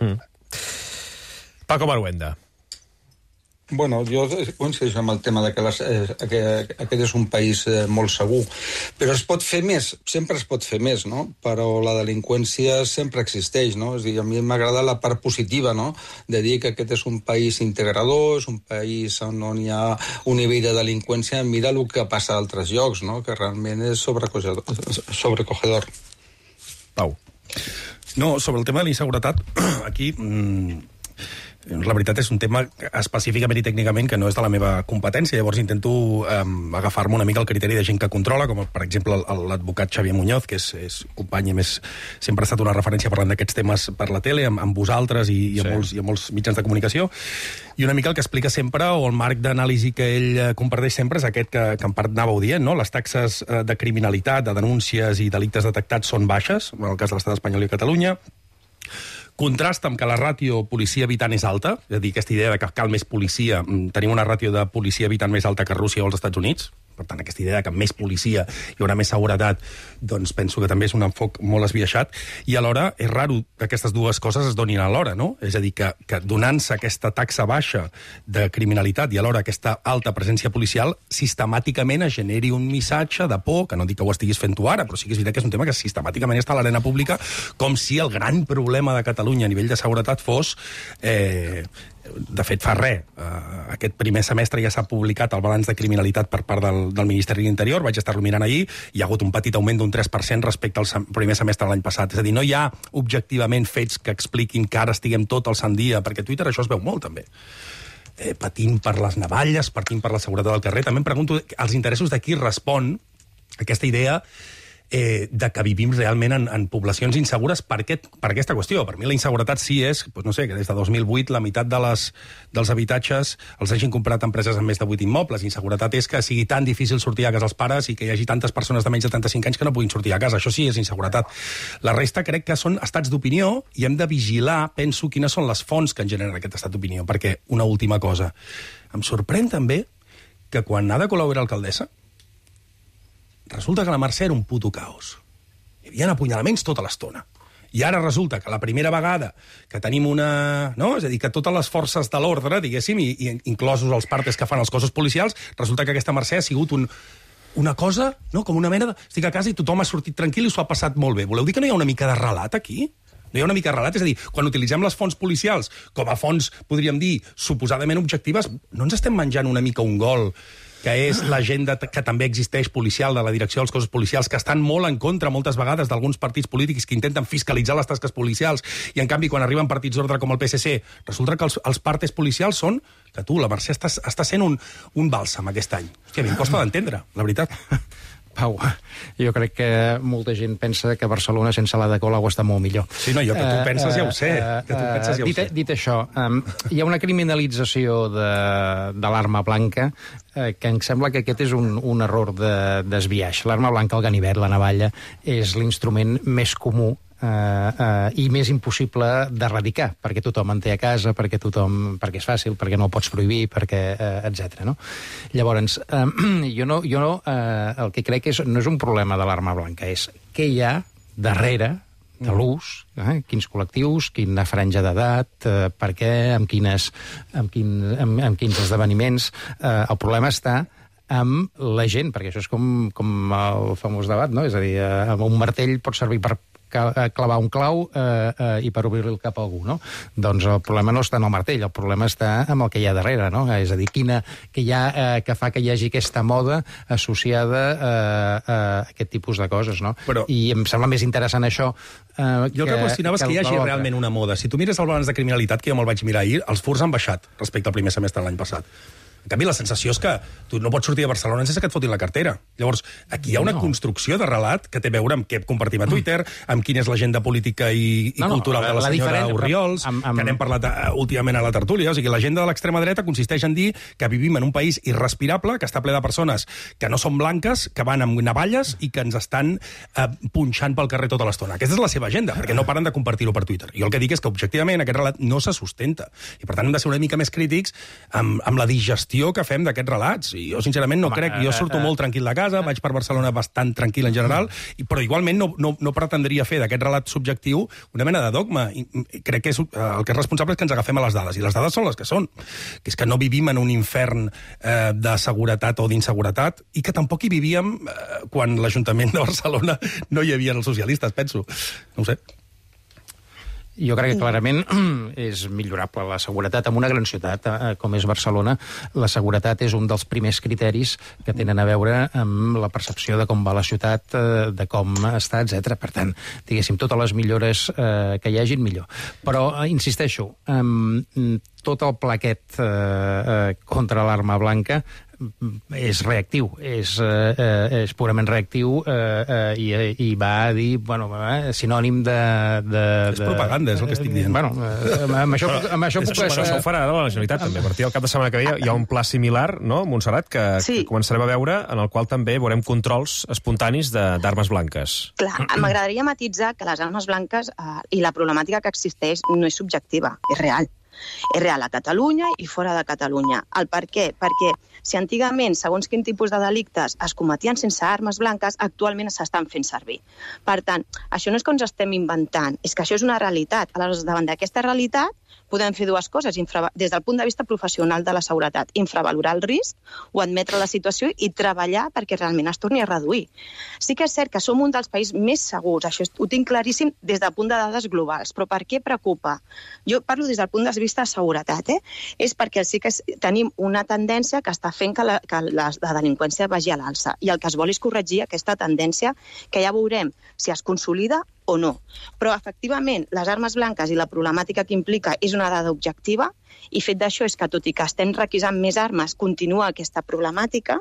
Mm. Paco Maruenda. Bueno, jo coincideixo amb el tema de que, les, eh, que aquest és un país eh, molt segur, però es pot fer més, sempre es pot fer més, no? Però la delinqüència sempre existeix, no? És a dir, a mi m'agrada la part positiva, no? De dir que aquest és un país integrador, és un país on, on hi ha un nivell de delinqüència, mira el que passa a altres llocs, no? Que realment és sobrecogedor. sobrecogedor. Pau. No, sobre el tema de la inseguretat, aquí... Mmm... La veritat és un tema específicament i tècnicament que no és de la meva competència, llavors intento eh, agafar-me una mica el criteri de gent que controla, com per exemple l'advocat Xavier Muñoz, que és, és company i més sempre ha estat una referència parlant d'aquests temes per la tele, amb, amb vosaltres i, i, amb sí. molts, i amb molts mitjans de comunicació, i una mica el que explica sempre, o el marc d'anàlisi que ell comparteix sempre, és aquest que, que en part anàveu dient, no? Les taxes de criminalitat, de denúncies i delictes detectats són baixes, en el cas de l'estat espanyol i Catalunya. Contrasta amb que la ràtio policia-habitant és alta, és a dir, aquesta idea de que cal més policia, tenim una ràtio de policia-habitant més alta que Rússia o els Estats Units, per tant, aquesta idea que amb més policia hi haurà més seguretat, doncs penso que també és un enfoc molt esbiaixat, i alhora és raro que aquestes dues coses es donin alhora, no? És a dir, que, que donant-se aquesta taxa baixa de criminalitat i alhora aquesta alta presència policial, sistemàticament es generi un missatge de por, que no dic que ho estiguis fent tu ara, però sí que és veritat que és un tema que sistemàticament està a l'arena pública, com si el gran problema de Catalunya a nivell de seguretat fos... Eh, de fet, fa res. Uh, aquest primer semestre ja s'ha publicat el balanç de criminalitat per part del, del Ministeri de l'Interior, vaig estar-lo mirant ahir, hi ha hagut un petit augment d'un tres per cent respecte al sem primer semestre de l'any passat. És a dir, no hi ha objectivament fets que expliquin que ara estiguem tot al sant dia, perquè a Twitter això es veu molt, també. Eh, patint per les navalles, patint per la seguretat del carrer. També em pregunto els interessos de qui respon aquesta idea Eh, de que vivim realment en, en poblacions insegures per, aquest, per aquesta qüestió. Per mi la inseguretat sí és, doncs no sé, que des de dos mil vuit la meitat de les, dels habitatges els hagin comprat empreses amb més de vuit immobles. Inseguretat és que sigui tan difícil sortir a casa als pares i que hi hagi tantes persones de menys de trenta-cinc anys que no puguin sortir a casa. Això sí és inseguretat. La resta crec que són estats d'opinió i hem de vigilar, penso, quines són les fonts que en generen aquest estat d'opinió. Perquè, una última cosa, em sorprèn també que quan Ada Colau era alcaldessa, resulta que la Mercè era un puto caos. Hi havia apunyalaments tota l'estona. I ara resulta que la primera vegada que tenim una... No? És a dir, que totes les forces de l'ordre, diguéssim, i, i inclosos els partes que fan els cossos policials, resulta que aquesta Mercè ha sigut un, una cosa, no? Com una mena de... Estic a casa i tothom ha sortit tranquil i s'ho ha passat molt bé. Voleu dir que no hi ha una mica de relat aquí? No hi ha una mica de relat? És a dir, quan utilitzem les fonts policials com a fonts, podríem dir, suposadament objectives, no ens estem menjant una mica un gol que és l'agenda que també existeix policial de la direcció dels cossos policials, que estan molt en contra moltes vegades d'alguns partits polítics que intenten fiscalitzar les tasques policials i, en canvi, quan arriben partits d'ordre com el P S C, resulta que els, els partes policials són que tu, la Mercè, està, està sent un, un bàlsam aquest any. Hòstia, a mi em costa d'entendre, la veritat. Pau, jo crec que molta gent pensa que Barcelona sense l'Ada Colau està molt millor. Sí, no, jo que tu penses ja ho sé. Que tu penses ja ho dit, sé. Dit això, um, hi ha una criminalització de, de l'arma blanca eh, que em sembla que aquest és un, un error de desbiaix. L'arma blanca, el ganivet, la navalla, és l'instrument més comú Uh, uh, i més impossible d'erradicar, perquè tothom en té a casa, perquè tothom, perquè és fàcil, perquè no el pots prohibir, perquè, uh, etcètera. No? Llavors, uh, jo, no, jo no, uh, el que crec és, no és un problema de l'arma blanca, és què hi ha darrere de l'ús, eh? Quins col·lectius, quina franja d'edat, eh, per què, amb, quines, amb, quin, amb, amb quins esdeveniments. Eh, el problema està amb la gent, perquè això és com, com el famós debat, no? És a dir, eh, amb un martell pot servir per clavar un clau eh, eh, i per obrir-li el cap a algú, no? Doncs el problema no està en el martell, el problema està amb el que hi ha darrere, no? És a dir, quina, que, hi ha, eh, que fa que hi hagi aquesta moda associada eh, a aquest tipus de coses, no? Però... I em sembla més interessant això eh, jo el que qüestionava és que, que hi hagi realment una moda. Si tu mires el balanç de criminalitat, que jo me'l vaig mirar ahir, els furts han baixat respecte al primer semestre de l'any passat. En canvi, la sensació és que tu no pots sortir de Barcelona sense que et fotin la cartera. Llavors, aquí hi ha una no. construcció de relat que té a veure amb què compartim a Twitter, amb quina és l'agenda política i, i no, no, cultural de la, la senyora Orriols, amb, amb... que n'hem parlat uh, últimament a la tertúlia. O sigui, l'agenda de l'extrema dreta consisteix en dir que vivim en un país irrespirable, que està ple de persones que no són blanques, que van amb navalles i que ens estan uh, punxant pel carrer tota l'estona. Aquesta és la seva agenda, perquè no paren de compartir-ho per Twitter. Jo el que dic és que, objectivament, aquest relat no se sustenta. I, per tant, hem de ser una mica més crítics amb, amb la digestió gestió que fem d'aquests relats. I jo, sincerament, no Home, crec... Jo surto uh, uh, molt tranquil de casa, vaig per Barcelona bastant tranquil en general, uh, i, però igualment no, no, no pretendria fer d'aquest relat subjectiu una mena de dogma. I, i crec que és, uh, el que és responsable és que ens agafem a les dades, i les dades són les que són. Que és que no vivim en un infern uh, de seguretat o d'inseguretat, i que tampoc hi vivíem uh, quan l'Ajuntament de Barcelona no hi havia els socialistes, penso. No ho sé. Jo crec que clarament és millorable la seguretat. En una gran ciutat eh, com és Barcelona, la seguretat és un dels primers criteris que tenen a veure amb la percepció de com va la ciutat, eh, de com està, etcètera. Per tant, diguéssim, totes les millores eh, que hi hagin, millor. Però, eh, insisteixo, eh, tot el plaquet eh, eh, contra l'arma blanca és reactiu, és, eh, és purament reactiu eh, eh, i, i va a dir, bueno, eh, sinònim de, de... És propaganda, és el que estic dient. Bueno, eh, amb això, amb això puc... Això ho farà ara la Generalitat, també. A partir del cap de setmana que ve hi ha un pla similar, no, Montserrat, que, sí. que començarem a veure, en el qual també veurem controls espontanis d'armes blanques. Clar, m'agradaria matitzar que les armes blanques eh, i la problemàtica que existeix no és subjectiva, és real. És real a Catalunya i fora de Catalunya. El per què? Perquè si antigament, segons quin tipus de delictes es cometien sense armes blanques, actualment s'estan fent servir. Per tant, això no és que ens estem inventant, és que això és una realitat. Aleshores, davant d'aquesta realitat, podem fer dues coses, des del punt de vista professional de la seguretat, infravalorar el risc o admetre la situació i treballar perquè realment es torni a reduir. Sí que és cert que som un dels països més segurs, això ho tinc claríssim des del punt de dades globals, però per què preocupa? Jo parlo des del punt de vista de seguretat, eh? És perquè sí que tenim una tendència que està fent que la, que la, la delinqüència vagi a l'alça, i el que es vol és corregir aquesta tendència, que ja veurem si es consolida o no. Però, efectivament, les armes blanques i la problemàtica que implica és una dada objectiva, i fet d'això és que, tot i que estem requisant més armes, continua aquesta problemàtica,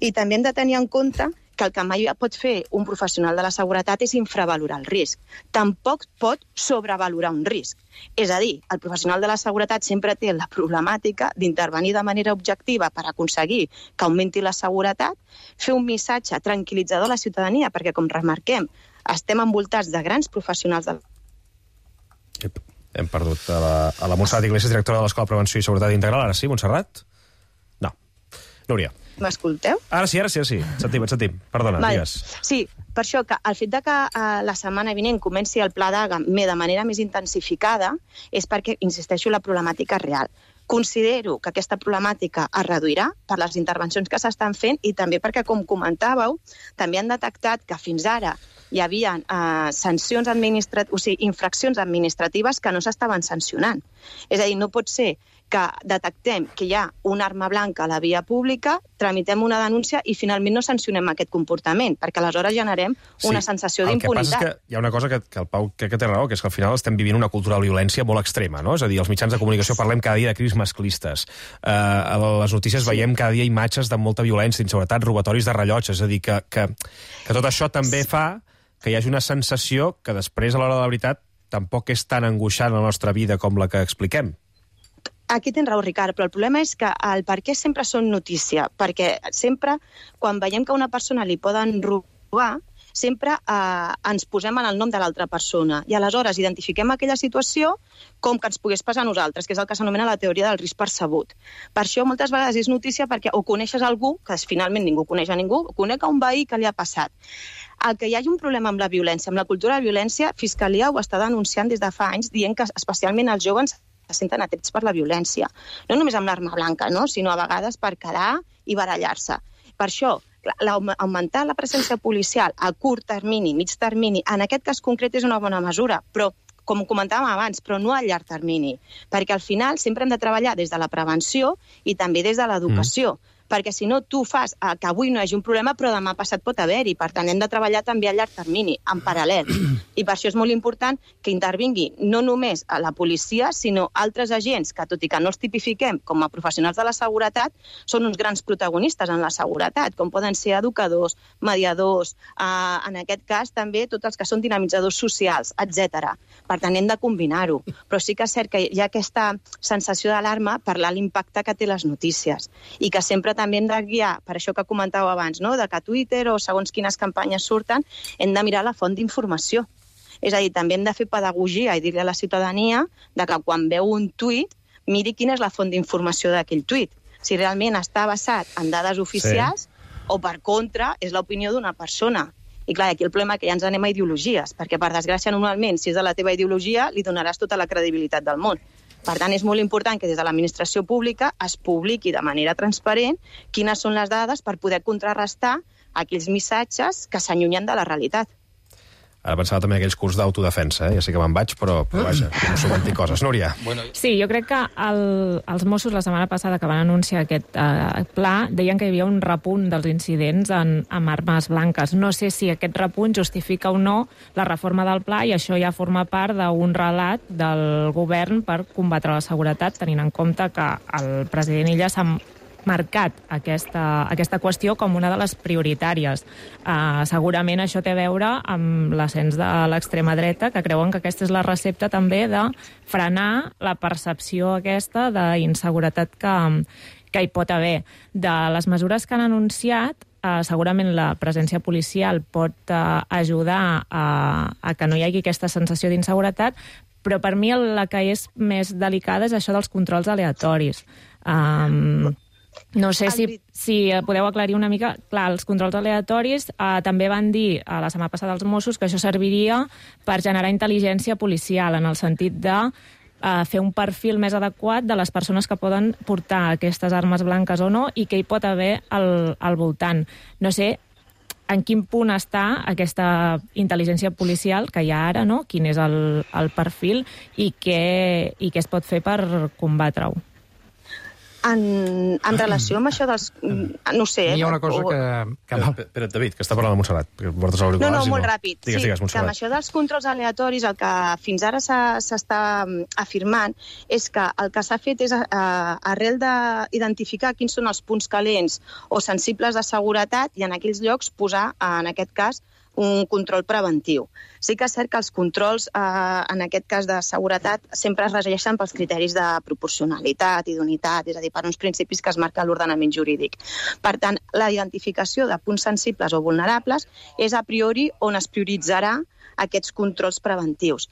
i també hem de tenir en compte que el que mai pot fer un professional de la seguretat és infravalorar el risc. Tampoc pot sobrevalorar un risc. És a dir, el professional de la seguretat sempre té la problemàtica d'intervenir de manera objectiva per aconseguir que augmenti la seguretat, fer un missatge tranquil·litzador a la ciutadania, perquè, com remarquem, estem envoltats de grans professionals de... Hem perdut a la, a la Montserrat Iglesias, directora de l'Escola de Prevenció i Seguretat Integral. Ara sí, Montserrat? No. Núria. M'escolteu? Ara sí, ara sí, ara sí. Et sentim, et sentim. Perdona, vale. Digues. Sí, per això que el fet de que uh, la setmana vinent comenci el pla d'A G A de manera més intensificada és perquè, insisteixo, la problemàtica és real. Considero que aquesta problemàtica es reduirà per les intervencions que s'estan fent i també perquè, com comentàveu, també han detectat que fins ara hi havia eh, sancions administratives, o sigui, infraccions administratives que no s'estaven sancionant. És a dir, no pot ser que detectem que hi ha una arma blanca a la via pública, tramitem una denúncia i finalment no sancionem aquest comportament, perquè aleshores generem una sí, sensació d'impunitat. El que passa és que hi ha una cosa que, que el Pau crec que té raó, que és que al final estem vivint una cultura de violència molt extrema, no? És a dir, els mitjans de comunicació parlem cada dia de crims masclistes. Uh, a les notícies sí. veiem cada dia imatges de molta violència, d'inseguretat, robatoris de rellotges. És a dir, que, que, que tot això també fa que hi hagi una sensació que després, a l'hora de la veritat, tampoc és tan angoixant la nostra vida com la que expliquem. Aquí tens raó, Ricard, però el problema és que el per què sempre són notícia, perquè sempre, quan veiem que a una persona li poden robar, sempre eh, ens posem en el nom de l'altra persona i aleshores identifiquem aquella situació com que ens pogués passar a nosaltres, que és el que s'anomena la teoria del risc percebut. Per això moltes vegades és notícia perquè o coneixes algú, que finalment ningú coneix a ningú, o conec a un veí que li ha passat. El que hi hagi un problema amb la violència, amb la cultura de violència, Fiscalia ho està denunciant des de fa anys, dient que especialment els joves se senten atrets per la violència. No només amb l'arma blanca, no? Sinó a vegades per quedar i barallar-se. Per això, augmentar la presència policial a curt termini, mig termini, en aquest cas concret és una bona mesura, però com comentàvem abans, però no a llarg termini, perquè al final sempre hem de treballar des de la prevenció i també des de l'educació. Mm. Perquè si no tu fas eh, que avui no hi hagi un problema, però demà passat pot haver-hi. Per tant, hem de treballar també a llarg termini, en paral·lel. I per això és molt important que intervingui no només a la policia, sinó altres agents que, tot i que no els tipifiquem com a professionals de la seguretat, són uns grans protagonistes en la seguretat, com poden ser educadors, mediadors, eh, en aquest cas també tots els que són dinamitzadors socials, etcètera. Per tant, hem de combinar-ho. Però sí que és cert que hi ha aquesta sensació d'alarma per l'impacte que té les notícies i que sempre també hem de guiar, per això que comentàveu abans, no? De que a Twitter o segons quines campanyes surten, hem de mirar la font d'informació. És a dir, també hem de fer pedagogia i dir-li a la ciutadania de que quan veu un tuit, miri quina és la font d'informació d'aquell tuit. si realment està basat en dades oficials sí. o, per contra, és l'opinió d'una persona. I clar, aquí el problema que ja ens anem a ideologies, perquè, per desgràcia, normalment, si és de la teva ideologia, li donaràs tota la credibilitat del món. Per tant, és molt important que des de l'administració pública es publiqui de manera transparent quines són les dades per poder contrarrestar aquells missatges que s'allunyen de la realitat. Ara pensava també en aquells curs d'autodefensa, eh? Ja sé que me'n vaig, però, però vaja, no subventir coses. Núria. Sí, jo crec que el, els Mossos la setmana passada que van anunciar aquest eh, pla deien que hi havia un repunt dels incidents en, amb armes blanques. No sé si aquest repunt justifica o no la reforma del pla i això ja forma part d'un relat del govern per combatre la seguretat, tenint en compte que el president Illa s'ha marcat aquesta, aquesta qüestió com una de les prioritàries. Uh, segurament això té a veure amb l'ascens de l'extrema dreta, que creuen que aquesta és la recepta també de frenar la percepció aquesta d'inseguretat que, que hi pot haver. De les mesures que han anunciat, uh, segurament la presència policial pot uh, ajudar a, a que no hi hagi aquesta sensació d'inseguretat, però per mi la que és més delicada és això dels controls aleatoris. Um, No sé si, si podeu aclarir una mica. Clar, els controls aleatoris eh, també van dir a la setmana passada als Mossos que això serviria per generar intel·ligència policial, en el sentit de eh, fer un perfil més adequat de les persones que poden portar aquestes armes blanques o no i que hi pot haver al, al voltant. No sé en quin punt està aquesta intel·ligència policial que hi ha ara, no? Quin és el, el perfil i què, i què es pot fer per combatre-ho. En, en relació amb això dels... No sé... Hi ha una cosa que... que... Espera, David, que està parlant de Montserrat. Portes no, no, molt ràpid. Digues, sí, digues, que amb això dels controls aleatoris el que fins ara s'està afirmant és que el que s'ha fet és, eh, arrel d'identificar quins són els punts calents o sensibles de seguretat i en aquells llocs posar, en aquest cas, un control preventiu. Sí que és cert que els controls, eh, en aquest cas de seguretat, sempre es regeixen pels criteris de proporcionalitat i d'unitat, és a dir, per uns principis que es marca l'ordenament jurídic. Per tant, la identificació de punts sensibles o vulnerables és a priori on es prioritzarà aquests controls preventius.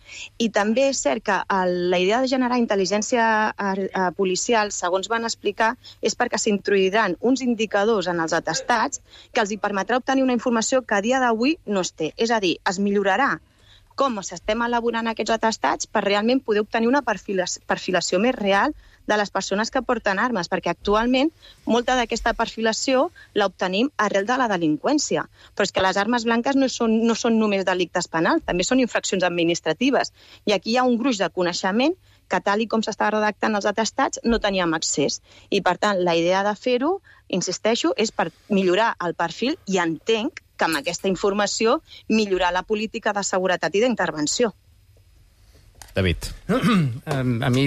I també és cert que el, la idea de generar intel·ligència eh, policial, segons van explicar, és perquè s'introduiran uns indicadors en els atestats que els hi permetrà obtenir una informació que a dia d'avui no es té. És a dir, es millorarà com s'estem elaborant aquests atestats per realment poder obtenir una perfilació més real de les persones que porten armes, perquè actualment molta d'aquesta perfilació l'obtenim arrel de la delinqüència. Però és que les armes blanques no són, no són només delictes penals, també són infraccions administratives. I aquí hi ha un gruix de coneixement que, tal i com s'està redactant els atestats, no teníem accés. I, per tant, la idea de fer-ho, insisteixo, és per millorar el perfil i entenc que amb aquesta informació millorar la política de seguretat i d'intervenció. David. A mi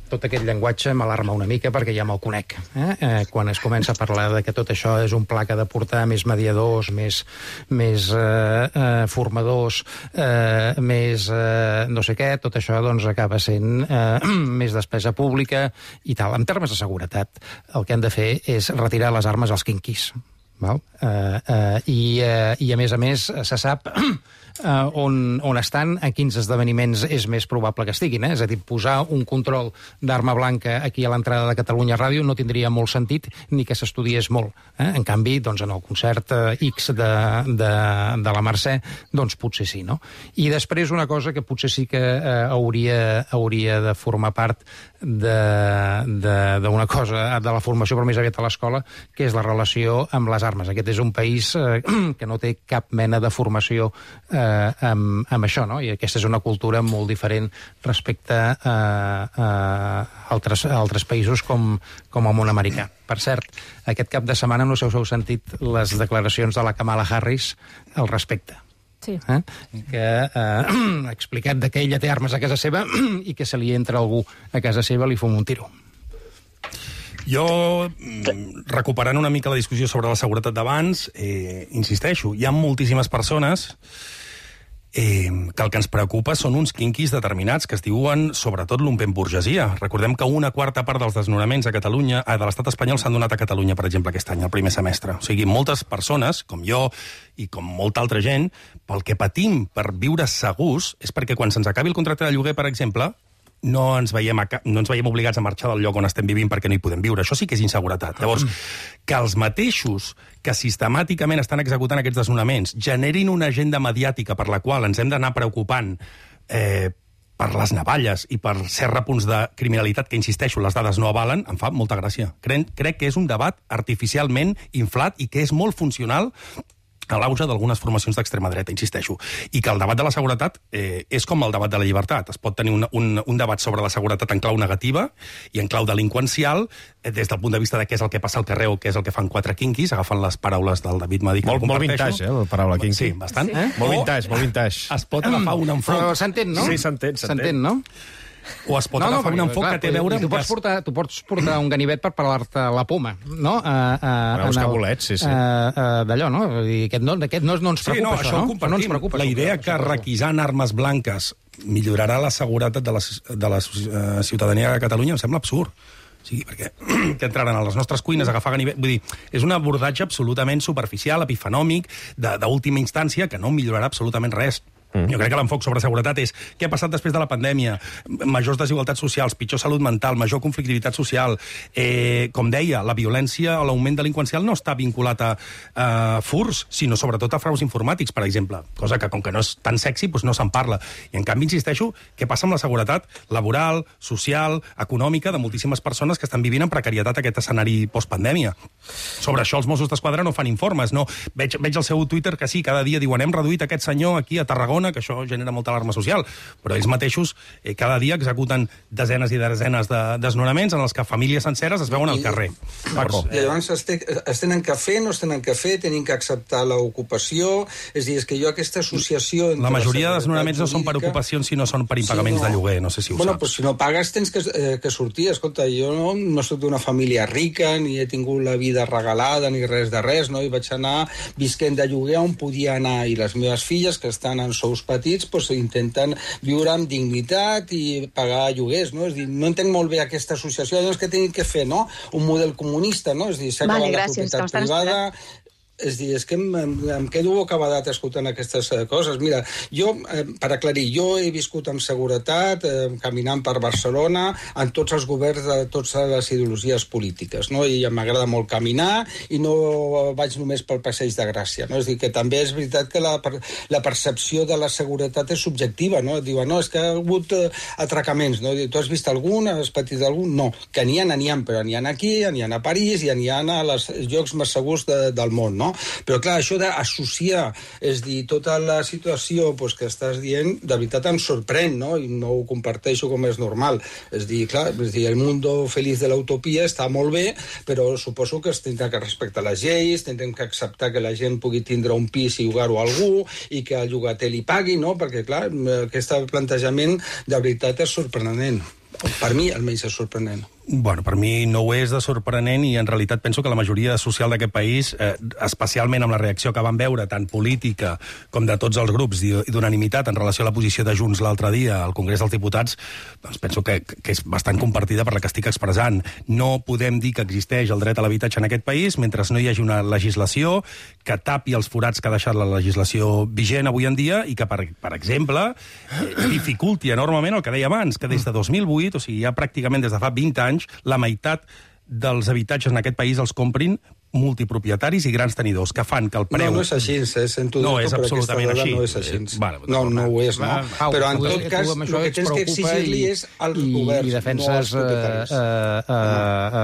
tot aquest llenguatge m'alarma una mica perquè ja me'l conec. Eh? Eh, quan es comença a parlar de que tot això és un pla que ha de portar més mediadors, més, més eh, eh, formadors, eh, més eh, no sé què, tot això doncs, acaba sent eh, més despesa pública i tal. En termes de seguretat, el que han de fer és retirar les armes als quinquis. Val? Eh, eh, i, eh, I, a més a més, se sap Uh, on, on estan, a quins esdeveniments és més probable que estiguin. Eh? És a dir, posar un control d'arma blanca aquí a l'entrada de Catalunya Ràdio no tindria molt sentit ni que s'estudiés molt. Eh? En canvi, doncs, en el concert uh, X de, de, de la Mercè, doncs potser sí, no? I després una cosa que potser sí que uh, hauria, hauria de formar part d'una cosa, de la formació però més aviat a l'escola, que és la relació amb les armes. Aquest és un país uh, que no té cap mena de formació uh, Amb, amb això, no? I aquesta és una cultura molt diferent respecte a, a altres, a altres països com, com el món americà. Per cert, aquest cap de setmana no sé si heu sentit les declaracions de la Kamala Harris al respecte. Sí. Eh? Que eh, ha explicat que ella té armes a casa seva i que se li entra algú a casa seva li fum un tiro. Jo, recuperant una mica la discussió sobre la seguretat d'abans, eh, insisteixo, hi ha moltíssimes persones eh, que el que ens preocupa són uns quinquis determinats que es diuen, sobretot, lumpenburgesia. Recordem que una quarta part dels desnonaments a Catalunya, eh, de l'estat espanyol, s'han donat a Catalunya, per exemple, aquest any, el primer semestre. O sigui, moltes persones, com jo i com molta altra gent, pel que patim per viure segurs és perquè quan se'ns acabi el contracte de lloguer, per exemple, no ens, veiem a, no ens veiem obligats a marxar del lloc on estem vivint perquè no hi podem viure. Això sí que és inseguretat. Llavors, que els mateixos que sistemàticament estan executant aquests desnonaments generin una agenda mediàtica per la qual ens hem d'anar preocupant eh, per les navalles i per certs repunts de criminalitat que, insisteixo, les dades no avalen, em fa molta gràcia. Crec, crec que és un debat artificialment inflat i que és molt funcional a l'auge d'algunes formacions d'extrema dreta, insisteixo. I que el debat de la seguretat eh, és com el debat de la llibertat. Es pot tenir un, un, un debat sobre la seguretat en clau negativa i en clau delinqüencial, eh, des del punt de vista de què és el que passa al carrer o què és el que fan quatre quinquis, agafant les paraules del David Madí. Molt, molt vintage, eh, la paraula quinqui. Sí, bastant. Sí. Eh? Molt vintage, molt vintage. Es pot agafar un enfocament. Però s'entén, no? Sí, s'entén, s'entén, no? O es pot no, agafar no, un enfocament que té a veure... Tu pots, portar, tu pots portar un ganivet per parlar-te la poma, no? Uh, uh, buscar bolets, sí, sí. Uh, uh, D'allò, no? Aquest no, aquest no, no ens preocupa, sí, no, això, això, no? no ens preocupa. La idea que requisant armes blanques millorarà la seguretat de la, de la uh, ciutadania de Catalunya em sembla absurd. Sí, perquè que entraran a les nostres cuines a agafar ganivet... Vull dir, és un abordatge absolutament superficial, epifenòmic, d'última instància, que no millorarà absolutament res. Mm. Jo crec que l'enfoc sobre seguretat és què ha passat després de la pandèmia, majors desigualtats socials, pitjor salut mental, major conflictivitat social. Eh, com deia, la violència o l'augment delinqüencial no està vinculat a, a furs, sinó sobretot a fraus informàtics, per exemple. Cosa que, com que no és tan sexy, doncs no se'n parla. I, en canvi, insisteixo, què passa amb la seguretat laboral, social, econòmica de moltíssimes persones que estan vivint en precarietat aquest escenari postpandèmia. Sobre això els Mossos d'Esquadra no fan informes, no. Veig, veig al seu Twitter que sí, cada dia diuen hem reduït aquest senyor aquí a Tarragona, que això genera molta alarma social, però ells mateixos eh, cada dia executen desenes i desenes de desnonaments en els que famílies senceres es veuen al carrer. Paco. I llavors es, te, es tenen que fer, no es tenen que fer, tenen que acceptar l'ocupació, és a dir, és que jo aquesta associació... La majoria de desnonaments no són per ocupacions, sinó són per impagaments sí, no. de lloguer, no sé si ho bueno, saps. Pues, si no pagues tens que, eh, que sortir. Escolta, jo no, no soc d'una família rica, ni he tingut la vida regalada, ni res de res, no? I vaig anar visquent de lloguer on podia anar, i les meves filles, que estan en sous petits, doncs intenten viure amb dignitat i pagar lloguers, no? És dir, no entenc molt bé aquesta associació, doncs què tenim que fer, no? Un model comunista, no? És dir, s'ha acabat la propietat privada... És dir, és que em, em, em quedo bocabadat escoltant aquestes eh, coses. Mira, jo, eh, per aclarir, jo he viscut amb seguretat, eh, caminant per Barcelona, en tots els governs de totes les ideologies polítiques, no? I m'agrada molt caminar i no vaig només pel Passeig de Gràcia, no? És dir, que també és veritat que la, la percepció de la seguretat és subjectiva, no? Diuen, no, és que ha hagut eh, atracaments, no? Tu has vist algun, has patit algun? No, que n'hi ha, n'hi ha, però n'hi ha aquí, n'hi ha a París i n'hi ha a els llocs més segurs de, del món, no? Però clar, això d'associar, és dir, tota la situació pues, que estàs dient, de veritat em sorprèn, no? I no ho comparteixo com és normal. És dir, clar, és dir, el mundo feliç de l'utopia està molt bé, però suposo que es tindrà que respectar les lleis, tindrem que acceptar que la gent pugui tindre un pis i llogar-ho a algú, i que el llogater li pagui, no? Perquè, clar, aquest plantejament de veritat és sorprenent. Per mi, almenys, és sorprenent. Bueno, per mi no ho és de sorprenent i en realitat penso que la majoria social d'aquest país, eh, especialment amb la reacció que van veure, tant política com de tots els grups i d'unanimitat en relació a la posició de Junts l'altre dia al Congrés dels Diputats, doncs penso que, que és bastant compartida per la que estic expressant. No podem dir que existeix el dret a l'habitatge en aquest país mentre no hi hagi una legislació que tapi els forats que ha deixat la legislació vigent avui en dia i que, per, per exemple, eh, dificulti enormement el que deia abans, que des de dos mil vuit, o sigui, ja pràcticament des de fa vint anys, la meitat dels habitatges en aquest país els comprin multipropietaris i grans tenidors, que fan que el preu... No, no és així, eh? Sento no, és absolutament així. No és així. Eh, vale, no, no ho és, no. Va, però en tot cas, el que tens que exigir-li és als governs, i defenses, no als propietaris. Uh, uh,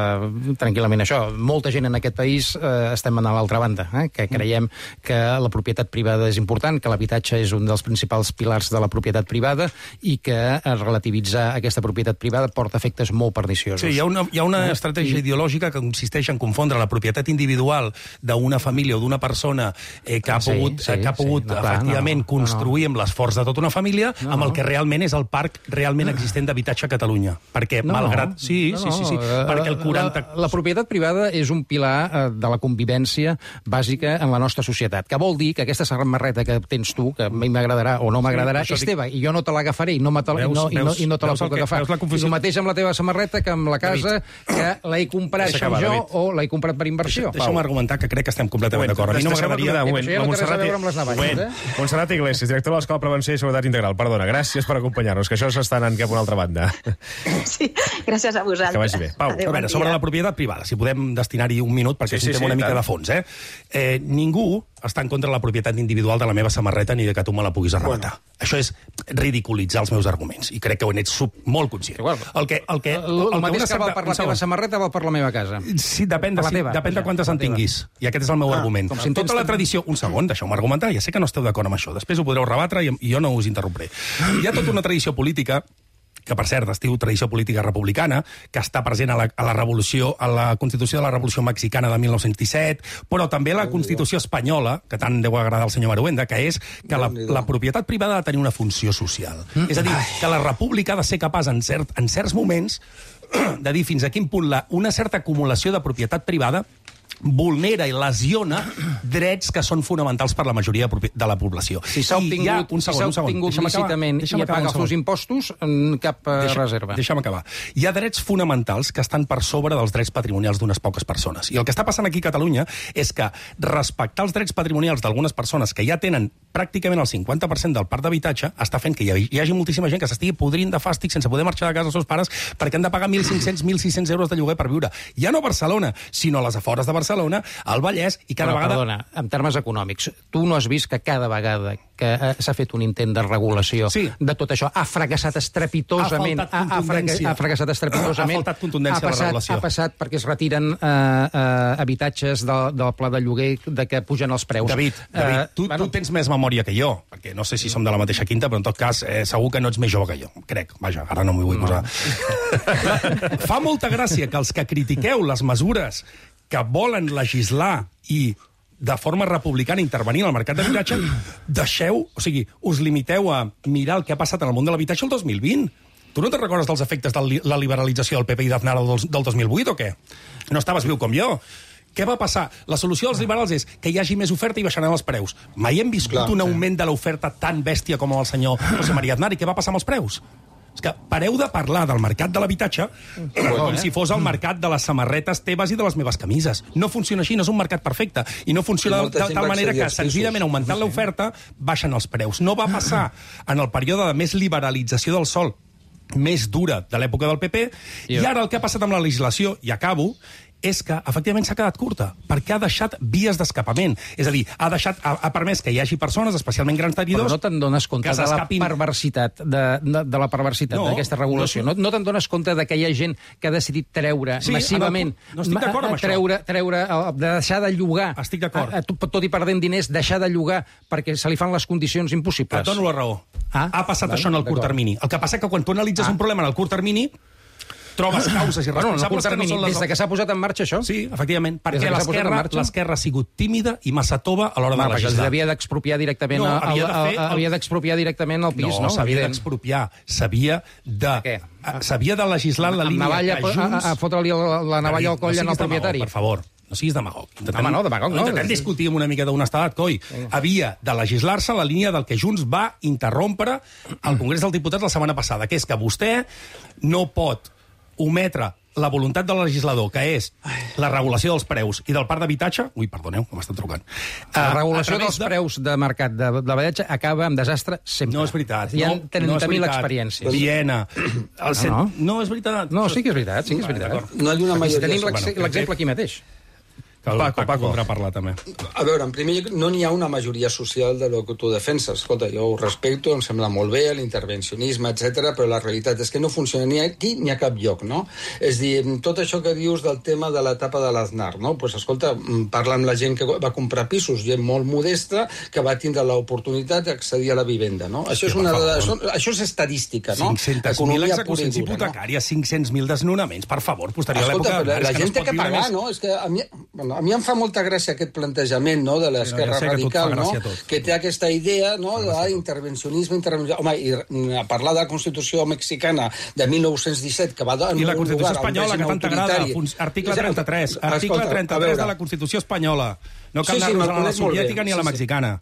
uh, tranquil·lament això. Molta gent en aquest país uh, estem a l'altra banda, eh? Que creiem que la propietat privada és important, que l'habitatge és un dels principals pilars de la propietat privada i que relativitzar aquesta propietat privada porta efectes molt perniciosos. Sí, hi ha una, hi ha una uh, estratègia i... ideològica que consisteix en confondre la propietat individual d'una família o d'una persona eh, que ha pogut, sí, sí, que ha pogut sí, no, clar, efectivament, no, construir no, no. amb l'esforç de tota una família, no, amb el que realment és el parc realment existent d'habitatge a Catalunya. Perquè, no, malgrat... Sí, no, sí, sí, sí, sí, perquè el quaranta... La, la propietat privada és un pilar eh, de la convivència bàsica en la nostra societat, que vol dir que aquesta samarreta que tens tu, que a mi m'agradarà o no m'agradarà, sí, és teva, i jo no te l'agafaré i no, te, veus, i no, veus, i no, i no te la puc agafar. I el mateix amb la teva samarreta que amb la casa, que l'he comprat jo o l'he comprat per inversió. això, Pau. Deixa'm argumentar que crec que estem completament d'acord. A mi no m'agradaria... Un moment, la Montserrat, eh? Montserrat Iglesias, directora de l'Escola de Prevenció i Seguretat Integral. Perdona, gràcies per acompanyar-nos, que això s'està anant cap a una altra banda. Sí, gràcies a vosaltres. Que vagi bé. Pau, Adéu, a veure, sobre la propietat privada, si podem destinar-hi un minut, perquè sí, sí, és un tema sí, una mica tant. de fons, eh? eh? Ningú està en contra de la propietat individual de la meva samarreta ni de que tu me la puguis arrebatar. Bueno. Això és ridiculitzar els meus arguments, i crec que ho ets molt conscient. Igual. El que, el que, el, el, el el mateix que val per la teva segon. samarreta val per la meva casa. Sí, depèn de, si, teva, depèn de quantes en tinguis. I aquest és el meu ah, argument. Si tota la tradició... Un segon, deixeu-me argumentar. Ja sé que no esteu d'acord amb això. Després ho podreu rebatre i, i jo no us interrompré. Hi ha tota una tradició política que, per cert, es diu tradició política republicana, que està present a la, a la revolució, a la Constitució de la Revolució Mexicana de mil nou-cents disset, però també a la Constitució espanyola, que tant deu agradar al senyor Maruenda, que és que la, la propietat privada ha de tenir una funció social. Mm. És a dir, que la república ha de ser capaç, en, cert, en certs moments, de dir fins a quin punt la, una certa acumulació de propietat privada vulnera i lesiona drets que són fonamentals per la majoria de la població. Si s'ha obtingut, un segon, si un segon. obtingut lícitament i paga els seus impostos, cap Deixa, reserva. Deixa'm acabar. Hi ha drets fonamentals que estan per sobre dels drets patrimonials d'unes poques persones. I el que està passant aquí a Catalunya és que respectar els drets patrimonials d'algunes persones que ja tenen pràcticament el cinquanta per cent del parc d'habitatge està fent que hi hagi moltíssima gent que s'estigui podrint de fàstic sense poder marxar de casa dels seus pares perquè han de pagar mil cinc-cents, mil sis-cents euros de lloguer per viure. Ja no a Barcelona, sinó a les afores de Barcelona, al Vallès, i cada Però, vegada... Perdona, en termes econòmics, tu no has vist que cada vegada que s'ha fet un intent de regulació sí. de tot això ha fracassat estrepitosament... Ha faltat contundència. Ha, ha fracassat estrepitosament. Ha faltat contundència ha passat, de la regulació. Ha passat perquè es retiren eh, eh, habitatges de, del pla de lloguer de que pugen els preus. David, David eh, tu, bueno, tu tens més memòria que jo, perquè no sé si som de la mateixa quinta, però en tot cas eh, segur que no ets més jove que jo. Crec, vaja, ara no m'hi vull no. posar. Fa molta gràcia que els que critiqueu les mesures que volen legislar i de forma republicana intervenir en el mercat d'habitatge, deixeu, o sigui, us limiteu a mirar el que ha passat en el món de l'habitatge el dos mil vint. Tu no te'n recordes dels efectes de la liberalització del P P i d'Aznar del, del dos mil vuit o què? No estaves viu com jo. Què va passar? La solució dels liberals és que hi hagi més oferta i baixaran els preus. Mai hem viscut Clar, un augment sí. de l'oferta tan bèstia com el senyor José María Aznar. I què va passar amb els preus? És que pareu de parlar del mercat de l'habitatge com si fos el mercat de les samarretes teves i de les meves camises. No funciona així, no és un mercat perfecte. I no funciona de tal manera que, senzillament, augmentant l'oferta, baixen els preus. No va passar en el període de més liberalització del sòl més dura de l'època del P P, i ara el que ha passat amb la legislació, i acabo, és que, efectivament, s'ha quedat curta, perquè ha deixat vies d'escapament. És a dir, ha, deixat, ha, ha permès que hi hagi persones, especialment grans tenidors... Però no te'n dones compte de la perversitat, de, de, de la perversitat no, d'aquesta regulació. No, no te'n dones compte de que hi ha gent que ha decidit treure sí, massivament... No estic d'acord amb treure, això. Treure, de deixar de llogar... Estic d'acord. Tot i perdent diners, deixar de llogar perquè se li fan les condicions impossibles. Et dono la raó. Ah? Ha passat bueno, això en el curt termini. El que passa és que quan tu analitzes ah. un problema en el curt termini... trobes causes i responsables bueno, termini, que no són les... Des que s'ha posat en marxa això? Sí, efectivament, perquè l'esquerra ha sigut tímida i massa tova a l'hora de legislar. Perquè havia d'expropiar directament, no, havia el, el, el... havia d'expropiar directament el pis, no? No, s'havia d'expropiar, s'havia de... S'havia de legislar la línia navalla, que Junts... A, a fotre-li la navalla al coll no al propietari. Per favor. No siguis demagog. Intentem, Home, no, demagog no. Intentem discutir amb una mica d'honestedat, coi. Havia de legislar-se la línia del que Junts va interrompre al Congrés dels Diputats la setmana passada, que és que vostè no pot ometre la voluntat del legislador, que és la regulació dels preus i del parc d'habitatge... Ui, perdoneu, que m'estan trucant. La regulació dels de... preus de mercat de, de l'habitatge acaba amb desastre sempre. No és veritat. Hi ha no, trenta mil no experiències. Viena. El cent... no, no. no és veritat. No, sí que és veritat, sí que és veritat. No hi ha una majoria... Tenim l'exemple aquí mateix. Que el Paco, Paco podrà parlar, també. A veure, en primer lloc, no n'hi ha una majoria social de lo que tu defenses. Escolta, jo ho respecto, em sembla molt bé, l'intervencionisme, etcètera, però la realitat és que no funciona ni aquí ni a cap lloc, no? És dir, tot això que dius del tema de l'etapa de l'Aznar, no? Pues, escolta, parla amb la gent que va comprar pisos, gent molt modesta, que va tindre l'oportunitat d'accedir a la vivenda, no? Això és, una de, això, això és estadística, no? cinc-cents mil execucions hipotecàries, cinc-cents mil desnonaments, per favor, posterior a l'època... Escolta, la gent té que pagar, no? És que a mi... Bueno, a mi em fa molta gràcia aquest plantejament, no?, de l'esquerra ja radical, no?, tot. que té aquesta idea, no?, d'intervencionisme, intervencionisme... Home, i a parlar de la Constitució mexicana de mil nou-cents disset, que va dar I la Constitució espanyola, que tant t'agrada, article trenta-tres, article trenta-tres de la Constitució espanyola. No cal anar-nos a la soviètica ni a la mexicana.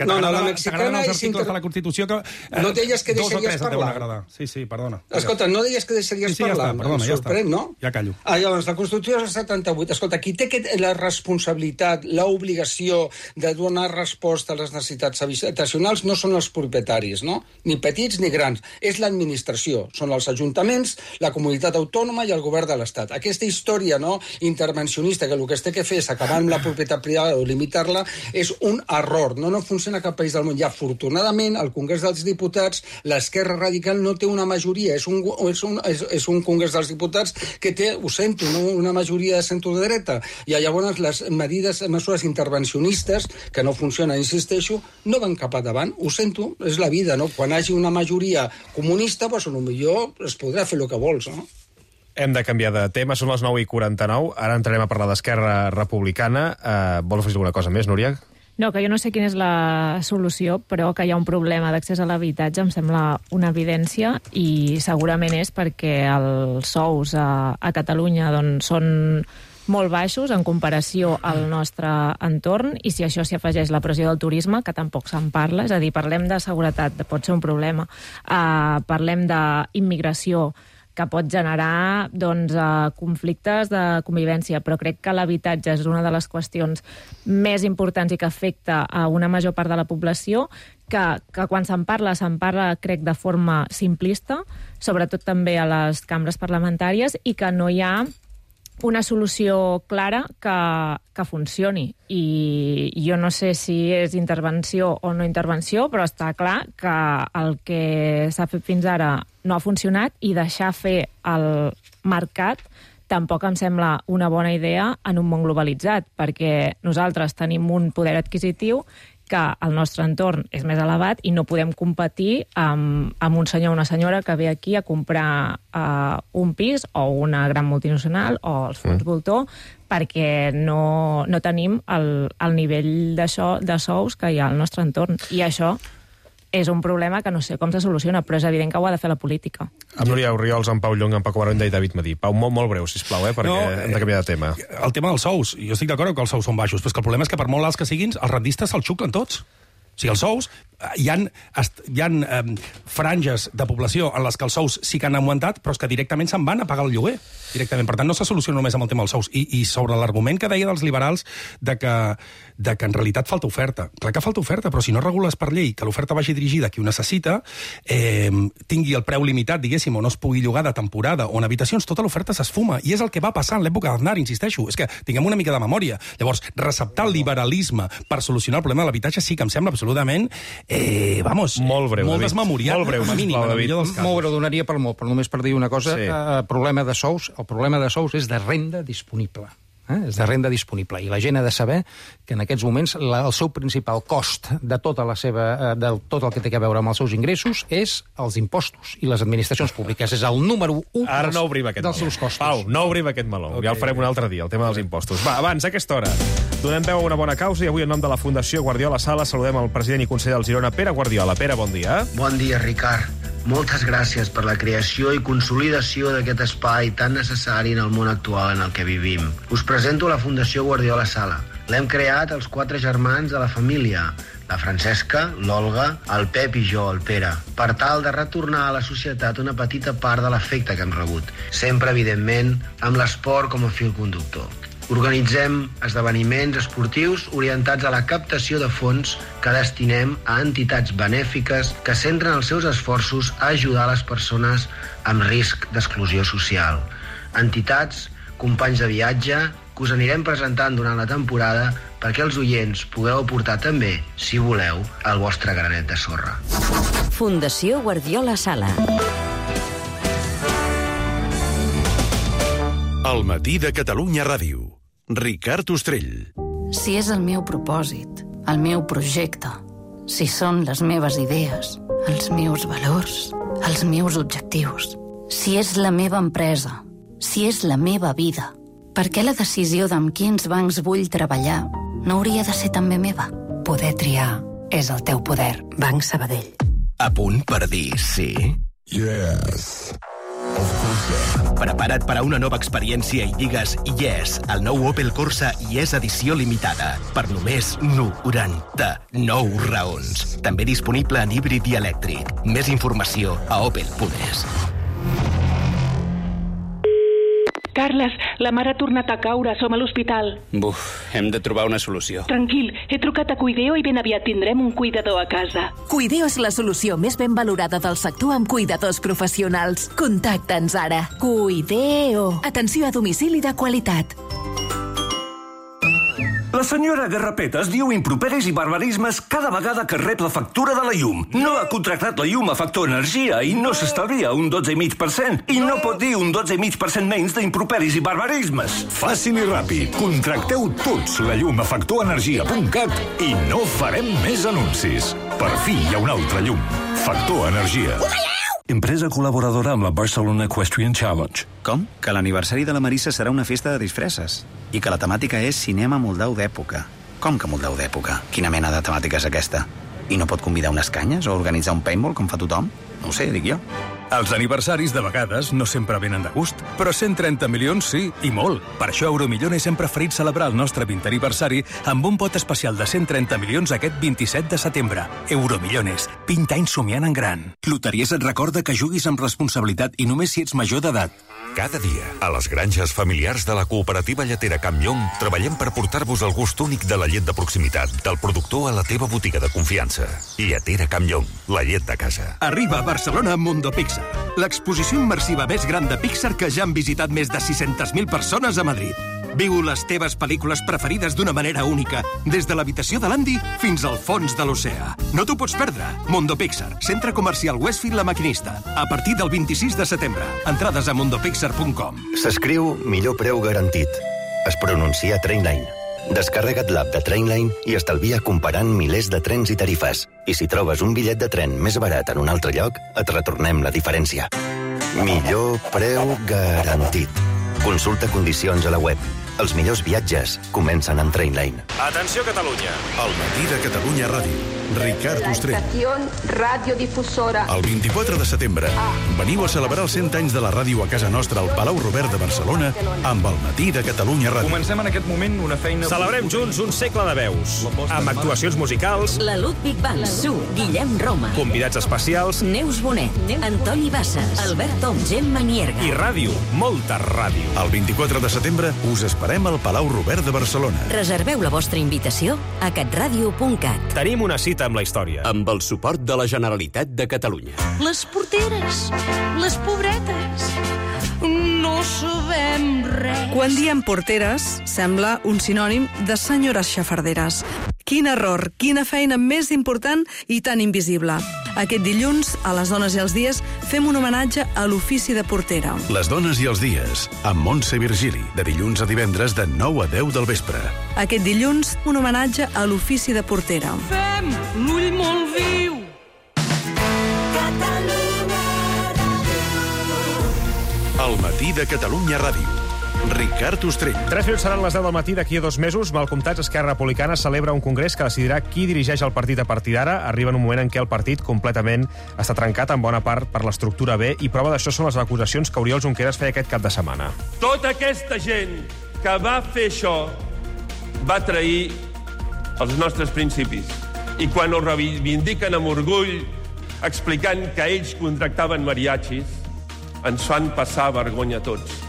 Que no, no, la t'agraden mexicana els és... articles Inter... de la Constitució que... Eh, No deies que dos o deixaries tres et deuen parlar. agradar. Sí, sí, perdona. Escolta, no deies que deixaries Sí, sí, ja parlar. està, perdona, em ja sorprèn, està. no? Ja callo. Ah, llavors, la Constitució és del setanta-vuit. Escolta, qui té la responsabilitat, l'obligació de donar resposta a les necessitats habitacionals no són els propietaris, no? Ni petits ni grans. És l'administració. Són els ajuntaments, la comunitat autònoma i el govern de l'Estat. Aquesta història, no?, intervencionista, que el que es té que fer és acabar amb la propietat privada o limitar-la, és un error. No, no funciona a cap país del món. I afortunadament, al Congrés dels Diputats, l'esquerra radical no té una majoria. És un, és un, és, és un Congrés dels Diputats que té, ho sento, no, una majoria de centre-dreta. I llavors les medides, mesures intervencionistes, que no funcionen, insisteixo, no van cap endavant. Ho sento, és la vida, no? Quan hi hagi una majoria comunista, doncs potser es podrà fer el que vols, no? Hem de canviar de tema, són les nou i quaranta-nou. Ara entrarem a parlar d'Esquerra Republicana. Uh, vol afegir alguna cosa més, Núria? No, que jo no sé quina és la solució, però que hi ha un problema d'accés a l'habitatge em sembla una evidència i segurament és perquè els sous a, a Catalunya doncs, són molt baixos en comparació al nostre entorn i si això s'hi afegeix la pressió del turisme, que tampoc se'n parla, és a dir, parlem de seguretat, pot ser un problema, uh, parlem d'immigració, que pot generar doncs, uh, conflictes de convivència, però crec que l'habitatge és una de les qüestions més importants i que afecta a una major part de la població, que, que quan se'n parla, se'n parla, crec, de forma simplista, sobretot també a les cambres parlamentàries, i que no hi ha una solució clara que, que funcioni. I jo no sé si és intervenció o no intervenció, però està clar que el que s'ha fet fins ara no ha funcionat i deixar fer el mercat tampoc em sembla una bona idea en un món globalitzat, perquè nosaltres tenim un poder adquisitiu que el nostre entorn és més elevat i no podem competir amb, amb un senyor o una senyora que ve aquí a comprar uh, un pis o una gran multinacional o els fons mm. voltor perquè no, no tenim el, el nivell de, so, de sous que hi ha al nostre entorn. I això és un problema que no sé com se soluciona, però és evident que ho ha de fer la política. Amb Núria Orriols, amb Pau Llong, amb Paco Barona i David Madí. Pau, molt, molt breu, sisplau, eh, perquè no, hem de canviar de tema. El tema dels sous, jo estic d'acord que els sous són baixos, però és que el problema és que per molt alts que siguin, els rendistes se'ls xuclen tots. O sigui, els sous, hi ha, hi ha eh, franges de població en les que els sous sí que han augmentat, però és que directament se'n van a pagar el lloguer. Directament. Per tant, no se soluciona només amb el tema dels sous. I, i sobre l'argument que deia dels liberals de que, de que en realitat falta oferta. Clar que falta oferta, però si no regules per llei que l'oferta vagi dirigida a qui ho necessita, eh, tingui el preu limitat, diguéssim, o no es pugui llogar de temporada o en habitacions, tota l'oferta s'esfuma. I és el que va passar en l'època d'Aznar, insisteixo. És que tinguem una mica de memòria. Llavors, receptar el liberalisme per solucionar el problema de l'habitatge sí que em sembla absolutament, eh, vamos, molt breu, molt David. desmemoriat. Molt breu, mínim, David. Molt breu, donaria per molt, però només per dir una cosa, sí. eh, problema de sous, el problema de sous és de renda disponible. Eh? És de renda disponible. I la gent ha de saber que en aquests moments la, el seu principal cost de tota la seva, eh, de tot el que té a veure amb els seus ingressos és els impostos i les administracions públiques. És el número u Ara dels, no obrim aquest dels meló. seus costos. Pau, no obrim aquest meló. Okay. Ja el farem un altre dia, el tema dels impostos. Va, abans, a aquesta hora, donem veu a una bona causa i avui en nom de la Fundació Guardiola Sala saludem el president i conseller del Girona, Pere Guardiola. Pere, bon dia. Bon dia, Ricard. Moltes gràcies per la creació i consolidació d'aquest espai tan necessari en el món actual en el que vivim. Us presento la Fundació Guardiola Sala. L'hem creat els quatre germans de la família, la Francesca, l'Olga, el Pep i jo, el Pere, per tal de retornar a la societat una petita part de l'efecte que hem rebut, sempre, evidentment, amb l'esport com a fil conductor. Organitzem esdeveniments esportius orientats a la captació de fons que destinem a entitats benèfiques que centren els seus esforços a ajudar les persones amb risc d'exclusió social. Entitats, companys de viatge, que us anirem presentant durant la temporada perquè els oients pugueu aportar també, si voleu, el vostre granet de sorra. Fundació Guardiola Sala. El matí de Catalunya Ràdio. Ricard Ostrell. Si és el meu propòsit, el meu projecte, si són les meves idees, els meus valors, els meus objectius, si és la meva empresa, si és la meva vida, per què la decisió d'amb quins bancs vull treballar no hauria de ser també meva? Poder triar és el teu poder. Banc Sabadell. A punt per dir sí? Yes. Prepara't per a una nova experiència i digues yes al nou Opel Corsa i és edició limitada per només noranta-nou raons. També disponible en híbrid i elèctric. Més informació a opel punt es. Carles, la mare ha tornat a caure, som a l'hospital. Buf, hem de trobar una solució. Tranquil, he trucat a Cuideo i ben aviat tindrem un cuidador a casa. Cuideo és la solució més ben valorada del sector amb cuidadors professionals. Contacta'ns ara. Cuideo. Atenció a domicili de qualitat. La senyora Garrapetes diu improperis i barbarismes cada vegada que rep la factura de la llum. No ha contractat la llum a Factor Energia i no s'estalvia un dotze coma cinc per cent. I no pot dir un dotze coma cinc per cent menys d'improperis i barbarismes. Fàcil i ràpid. Contracteu tots la llum a factor energia punt cat i no farem més anuncis. Per fi hi ha una altra llum. Factor Energia. Empresa col·laboradora amb la Barcelona Equestrian Challenge. Com? Que l'aniversari de la Marissa serà una festa de disfresses. I que la temàtica és cinema moldau d'època. Com que moldau d'època? Quina mena de temàtica és aquesta? I no pot convidar unes canyes o organitzar un paintball com fa tothom? No ho sé, dic jo. Els aniversaris de vegades no sempre venen de gust, però cent trenta milions sí, i molt. Per això Euromillones hem preferit celebrar el nostre vintè aniversari amb un pot especial de cent trenta milions aquest vint-i-set de setembre. Euromillones, vint anys somiant en gran. Loteries et recorda que juguis amb responsabilitat i només si ets major d'edat. Cada dia, a les granges familiars de la cooperativa lletera Camp Llong, treballem per portar-vos el gust únic de la llet de proximitat, del productor a la teva botiga de confiança. Lletera Camp Llong, la llet de casa. Arriba a Barcelona Mundo Pixar, l'exposició immersiva més gran de Pixar que ja han visitat més de sis-centes mil persones a Madrid. Viu les teves pel·lícules preferides d'una manera única, des de l'habitació de l'Andy fins al fons de l'oceà. No t'ho pots perdre. Mundo Pixar, centre comercial Westfield La Maquinista. A partir del vint-i-sis de setembre. Entrades a mundo pixar punt com. S'escriu millor preu garantit. Es pronuncia Trainline. Descarrega't l'app de Trainline i estalvia comparant milers de trens i tarifes. I si trobes un bitllet de tren més barat en un altre lloc, et retornem la diferència. Millor preu garantit. Consulta condicions a la web. Els millors viatges comencen amb Trainline. Atenció, Catalunya. El matí de Catalunya Ràdio. Ricard Ostrell. Estación radiodifusora. El vint-i-quatre de setembre veniu a celebrar els cent anys de la ràdio a casa nostra al Palau Robert de Barcelona amb el matí de Catalunya Ràdio. Comencem en aquest moment una feina... Celebrem junts un segle de veus, amb actuacions musicals... La Ludwig Band, Su, Guillem Roma. Convidats especials... Neus Bonet, Antoni Bassas, Albert Tom, Gemma Nierga. I ràdio, molta ràdio. El vint-i-quatre de setembre us esperem al Palau Robert de Barcelona. Reserveu la vostra invitació a catradio punt cat. Tenim una cita amb la història. Amb el suport de la Generalitat de Catalunya. Les porteres, les pobretes, no sabem res. Quan diem porteres, sembla un sinònim de senyores xafarderes. Quin error, quina feina més important i tan invisible. Aquest dilluns, a les dones i els dies, fem un homenatge a l'ofici de portera. Les dones i els dies, amb Montse Virgili, de dilluns a divendres de nou a deu del vespre. Aquest dilluns, un homenatge a l'ofici de portera. Fem l'ull molt viu. Catalunya Ràdio. El matí de Catalunya Ràdio. Ricard Ostrell. Tres minuts seran les deu del matí d'aquí a dos mesos. Mal comptats, Esquerra Republicana celebra un congrés que decidirà qui dirigeix el partit a partir d'ara. Arriba en un moment en què el partit completament està trencat en bona part per l'estructura B i prova d'això són les acusacions que Oriol Junqueras feia aquest cap de setmana. Tota aquesta gent que va fer això va trair els nostres principis. I quan ho reivindiquen amb orgull, explicant que ells contractaven mariachis, ens fan passar vergonya a tots.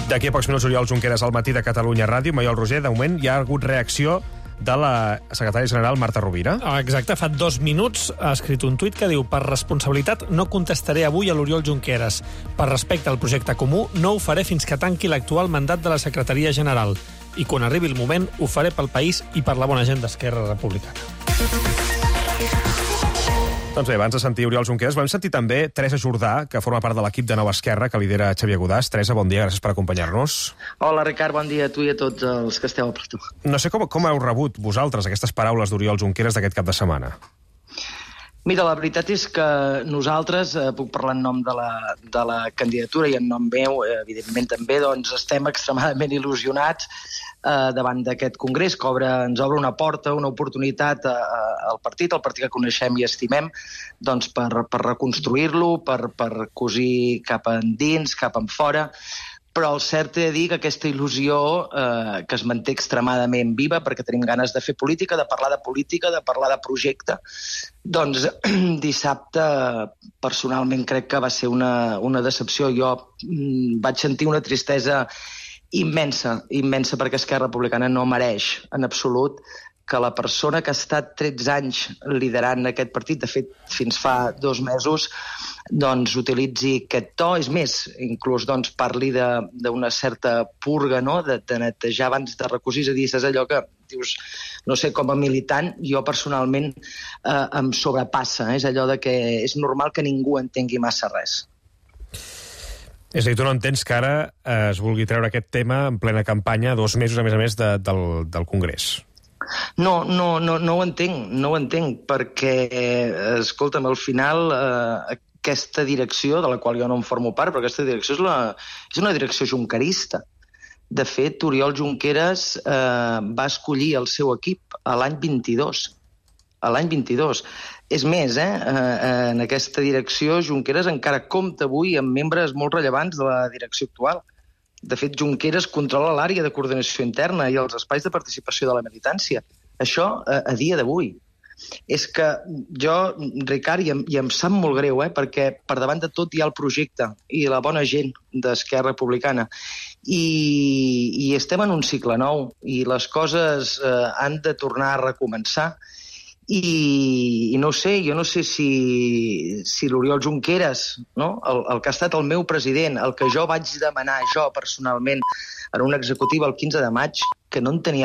D'aquí a pocs minuts, Oriol Junqueras al matí de Catalunya Ràdio. Maiol Roger, de moment hi ha hagut reacció de la secretària general Marta Rovira. Exacte, fa dos minuts ha escrit un tuit que diu: per responsabilitat no contestaré avui a l'Oriol Junqueras. Per respecte al projecte comú no ho faré fins que tanqui l'actual mandat de la secretaria general. I quan arribi el moment ho faré pel país i per la bona gent d'Esquerra Republicana. Doncs bé, abans de sentir Oriol Junqueras, vam sentir també Teresa Jordà, que forma part de l'equip de Nova Esquerra, que lidera Xavier Godàs. Teresa, bon dia, gràcies per acompanyar-nos. Hola, Ricard, bon dia a tu i a tots els que esteu a plató. No sé com, com heu rebut vosaltres aquestes paraules d'Oriol Junqueras d'aquest cap de setmana. Mira, la veritat és que nosaltres, eh, puc parlar en nom de la, de la candidatura i en nom meu, eh, evidentment també, doncs estem extremadament il·lusionats eh, davant d'aquest congrés, que obre, ens obre una porta, una oportunitat a, a, al partit, el partit que coneixem i estimem, doncs per, per reconstruir-lo, per, per cosir cap endins, cap enfora. Però el cert he de dir que aquesta il·lusió eh, que es manté extremadament viva, perquè tenim ganes de fer política, de parlar de política, de parlar de projecte, doncs dissabte personalment crec que va ser una, una decepció. Jo mm, vaig sentir una tristesa immensa, immensa, perquè Esquerra Republicana no mereix en absolut que la persona que ha estat tretze anys liderant aquest partit, de fet, fins fa dos mesos, doncs utilitzi aquest to. És més, inclús doncs, parli d'una certa purga, no?, de, de netejar abans de recosir. És a dir, és allò que dius, no sé, com a militant, jo personalment eh, em sobrepassa. Eh? És allò de que és normal que ningú entengui massa res. És a dir, tu no entens que ara eh, es vulgui treure aquest tema en plena campanya, dos mesos, a més a més, de, del, del Congrés. No, no, no, no ho entenc, no ho entenc, perquè, escolta'm, al final eh, aquesta direcció, de la qual jo no en formo part, però aquesta direcció és, la, és una direcció junquerista. De fet, Oriol Junqueras eh, va escollir el seu equip a l'any vint-i-dos. A l'any vint-i-dos. És més, eh, eh, en aquesta direcció Junqueras encara compta avui amb membres molt rellevants de la direcció actual. De fet, Junqueras controla l'àrea de coordinació interna i els espais de participació de la militància. Això a, a dia d'avui. És que jo, Ricard, i em, i em sap molt greu, eh, perquè per davant de tot hi ha el projecte i la bona gent d'Esquerra Republicana. I, i estem en un cicle nou i les coses eh, han de tornar a recomençar. I, i no sé, jo no sé si, si l'Oriol Junqueras, no? el, el que ha estat el meu president, el que jo vaig demanar jo personalment en una executiva el quinze de maig, que no en tenia res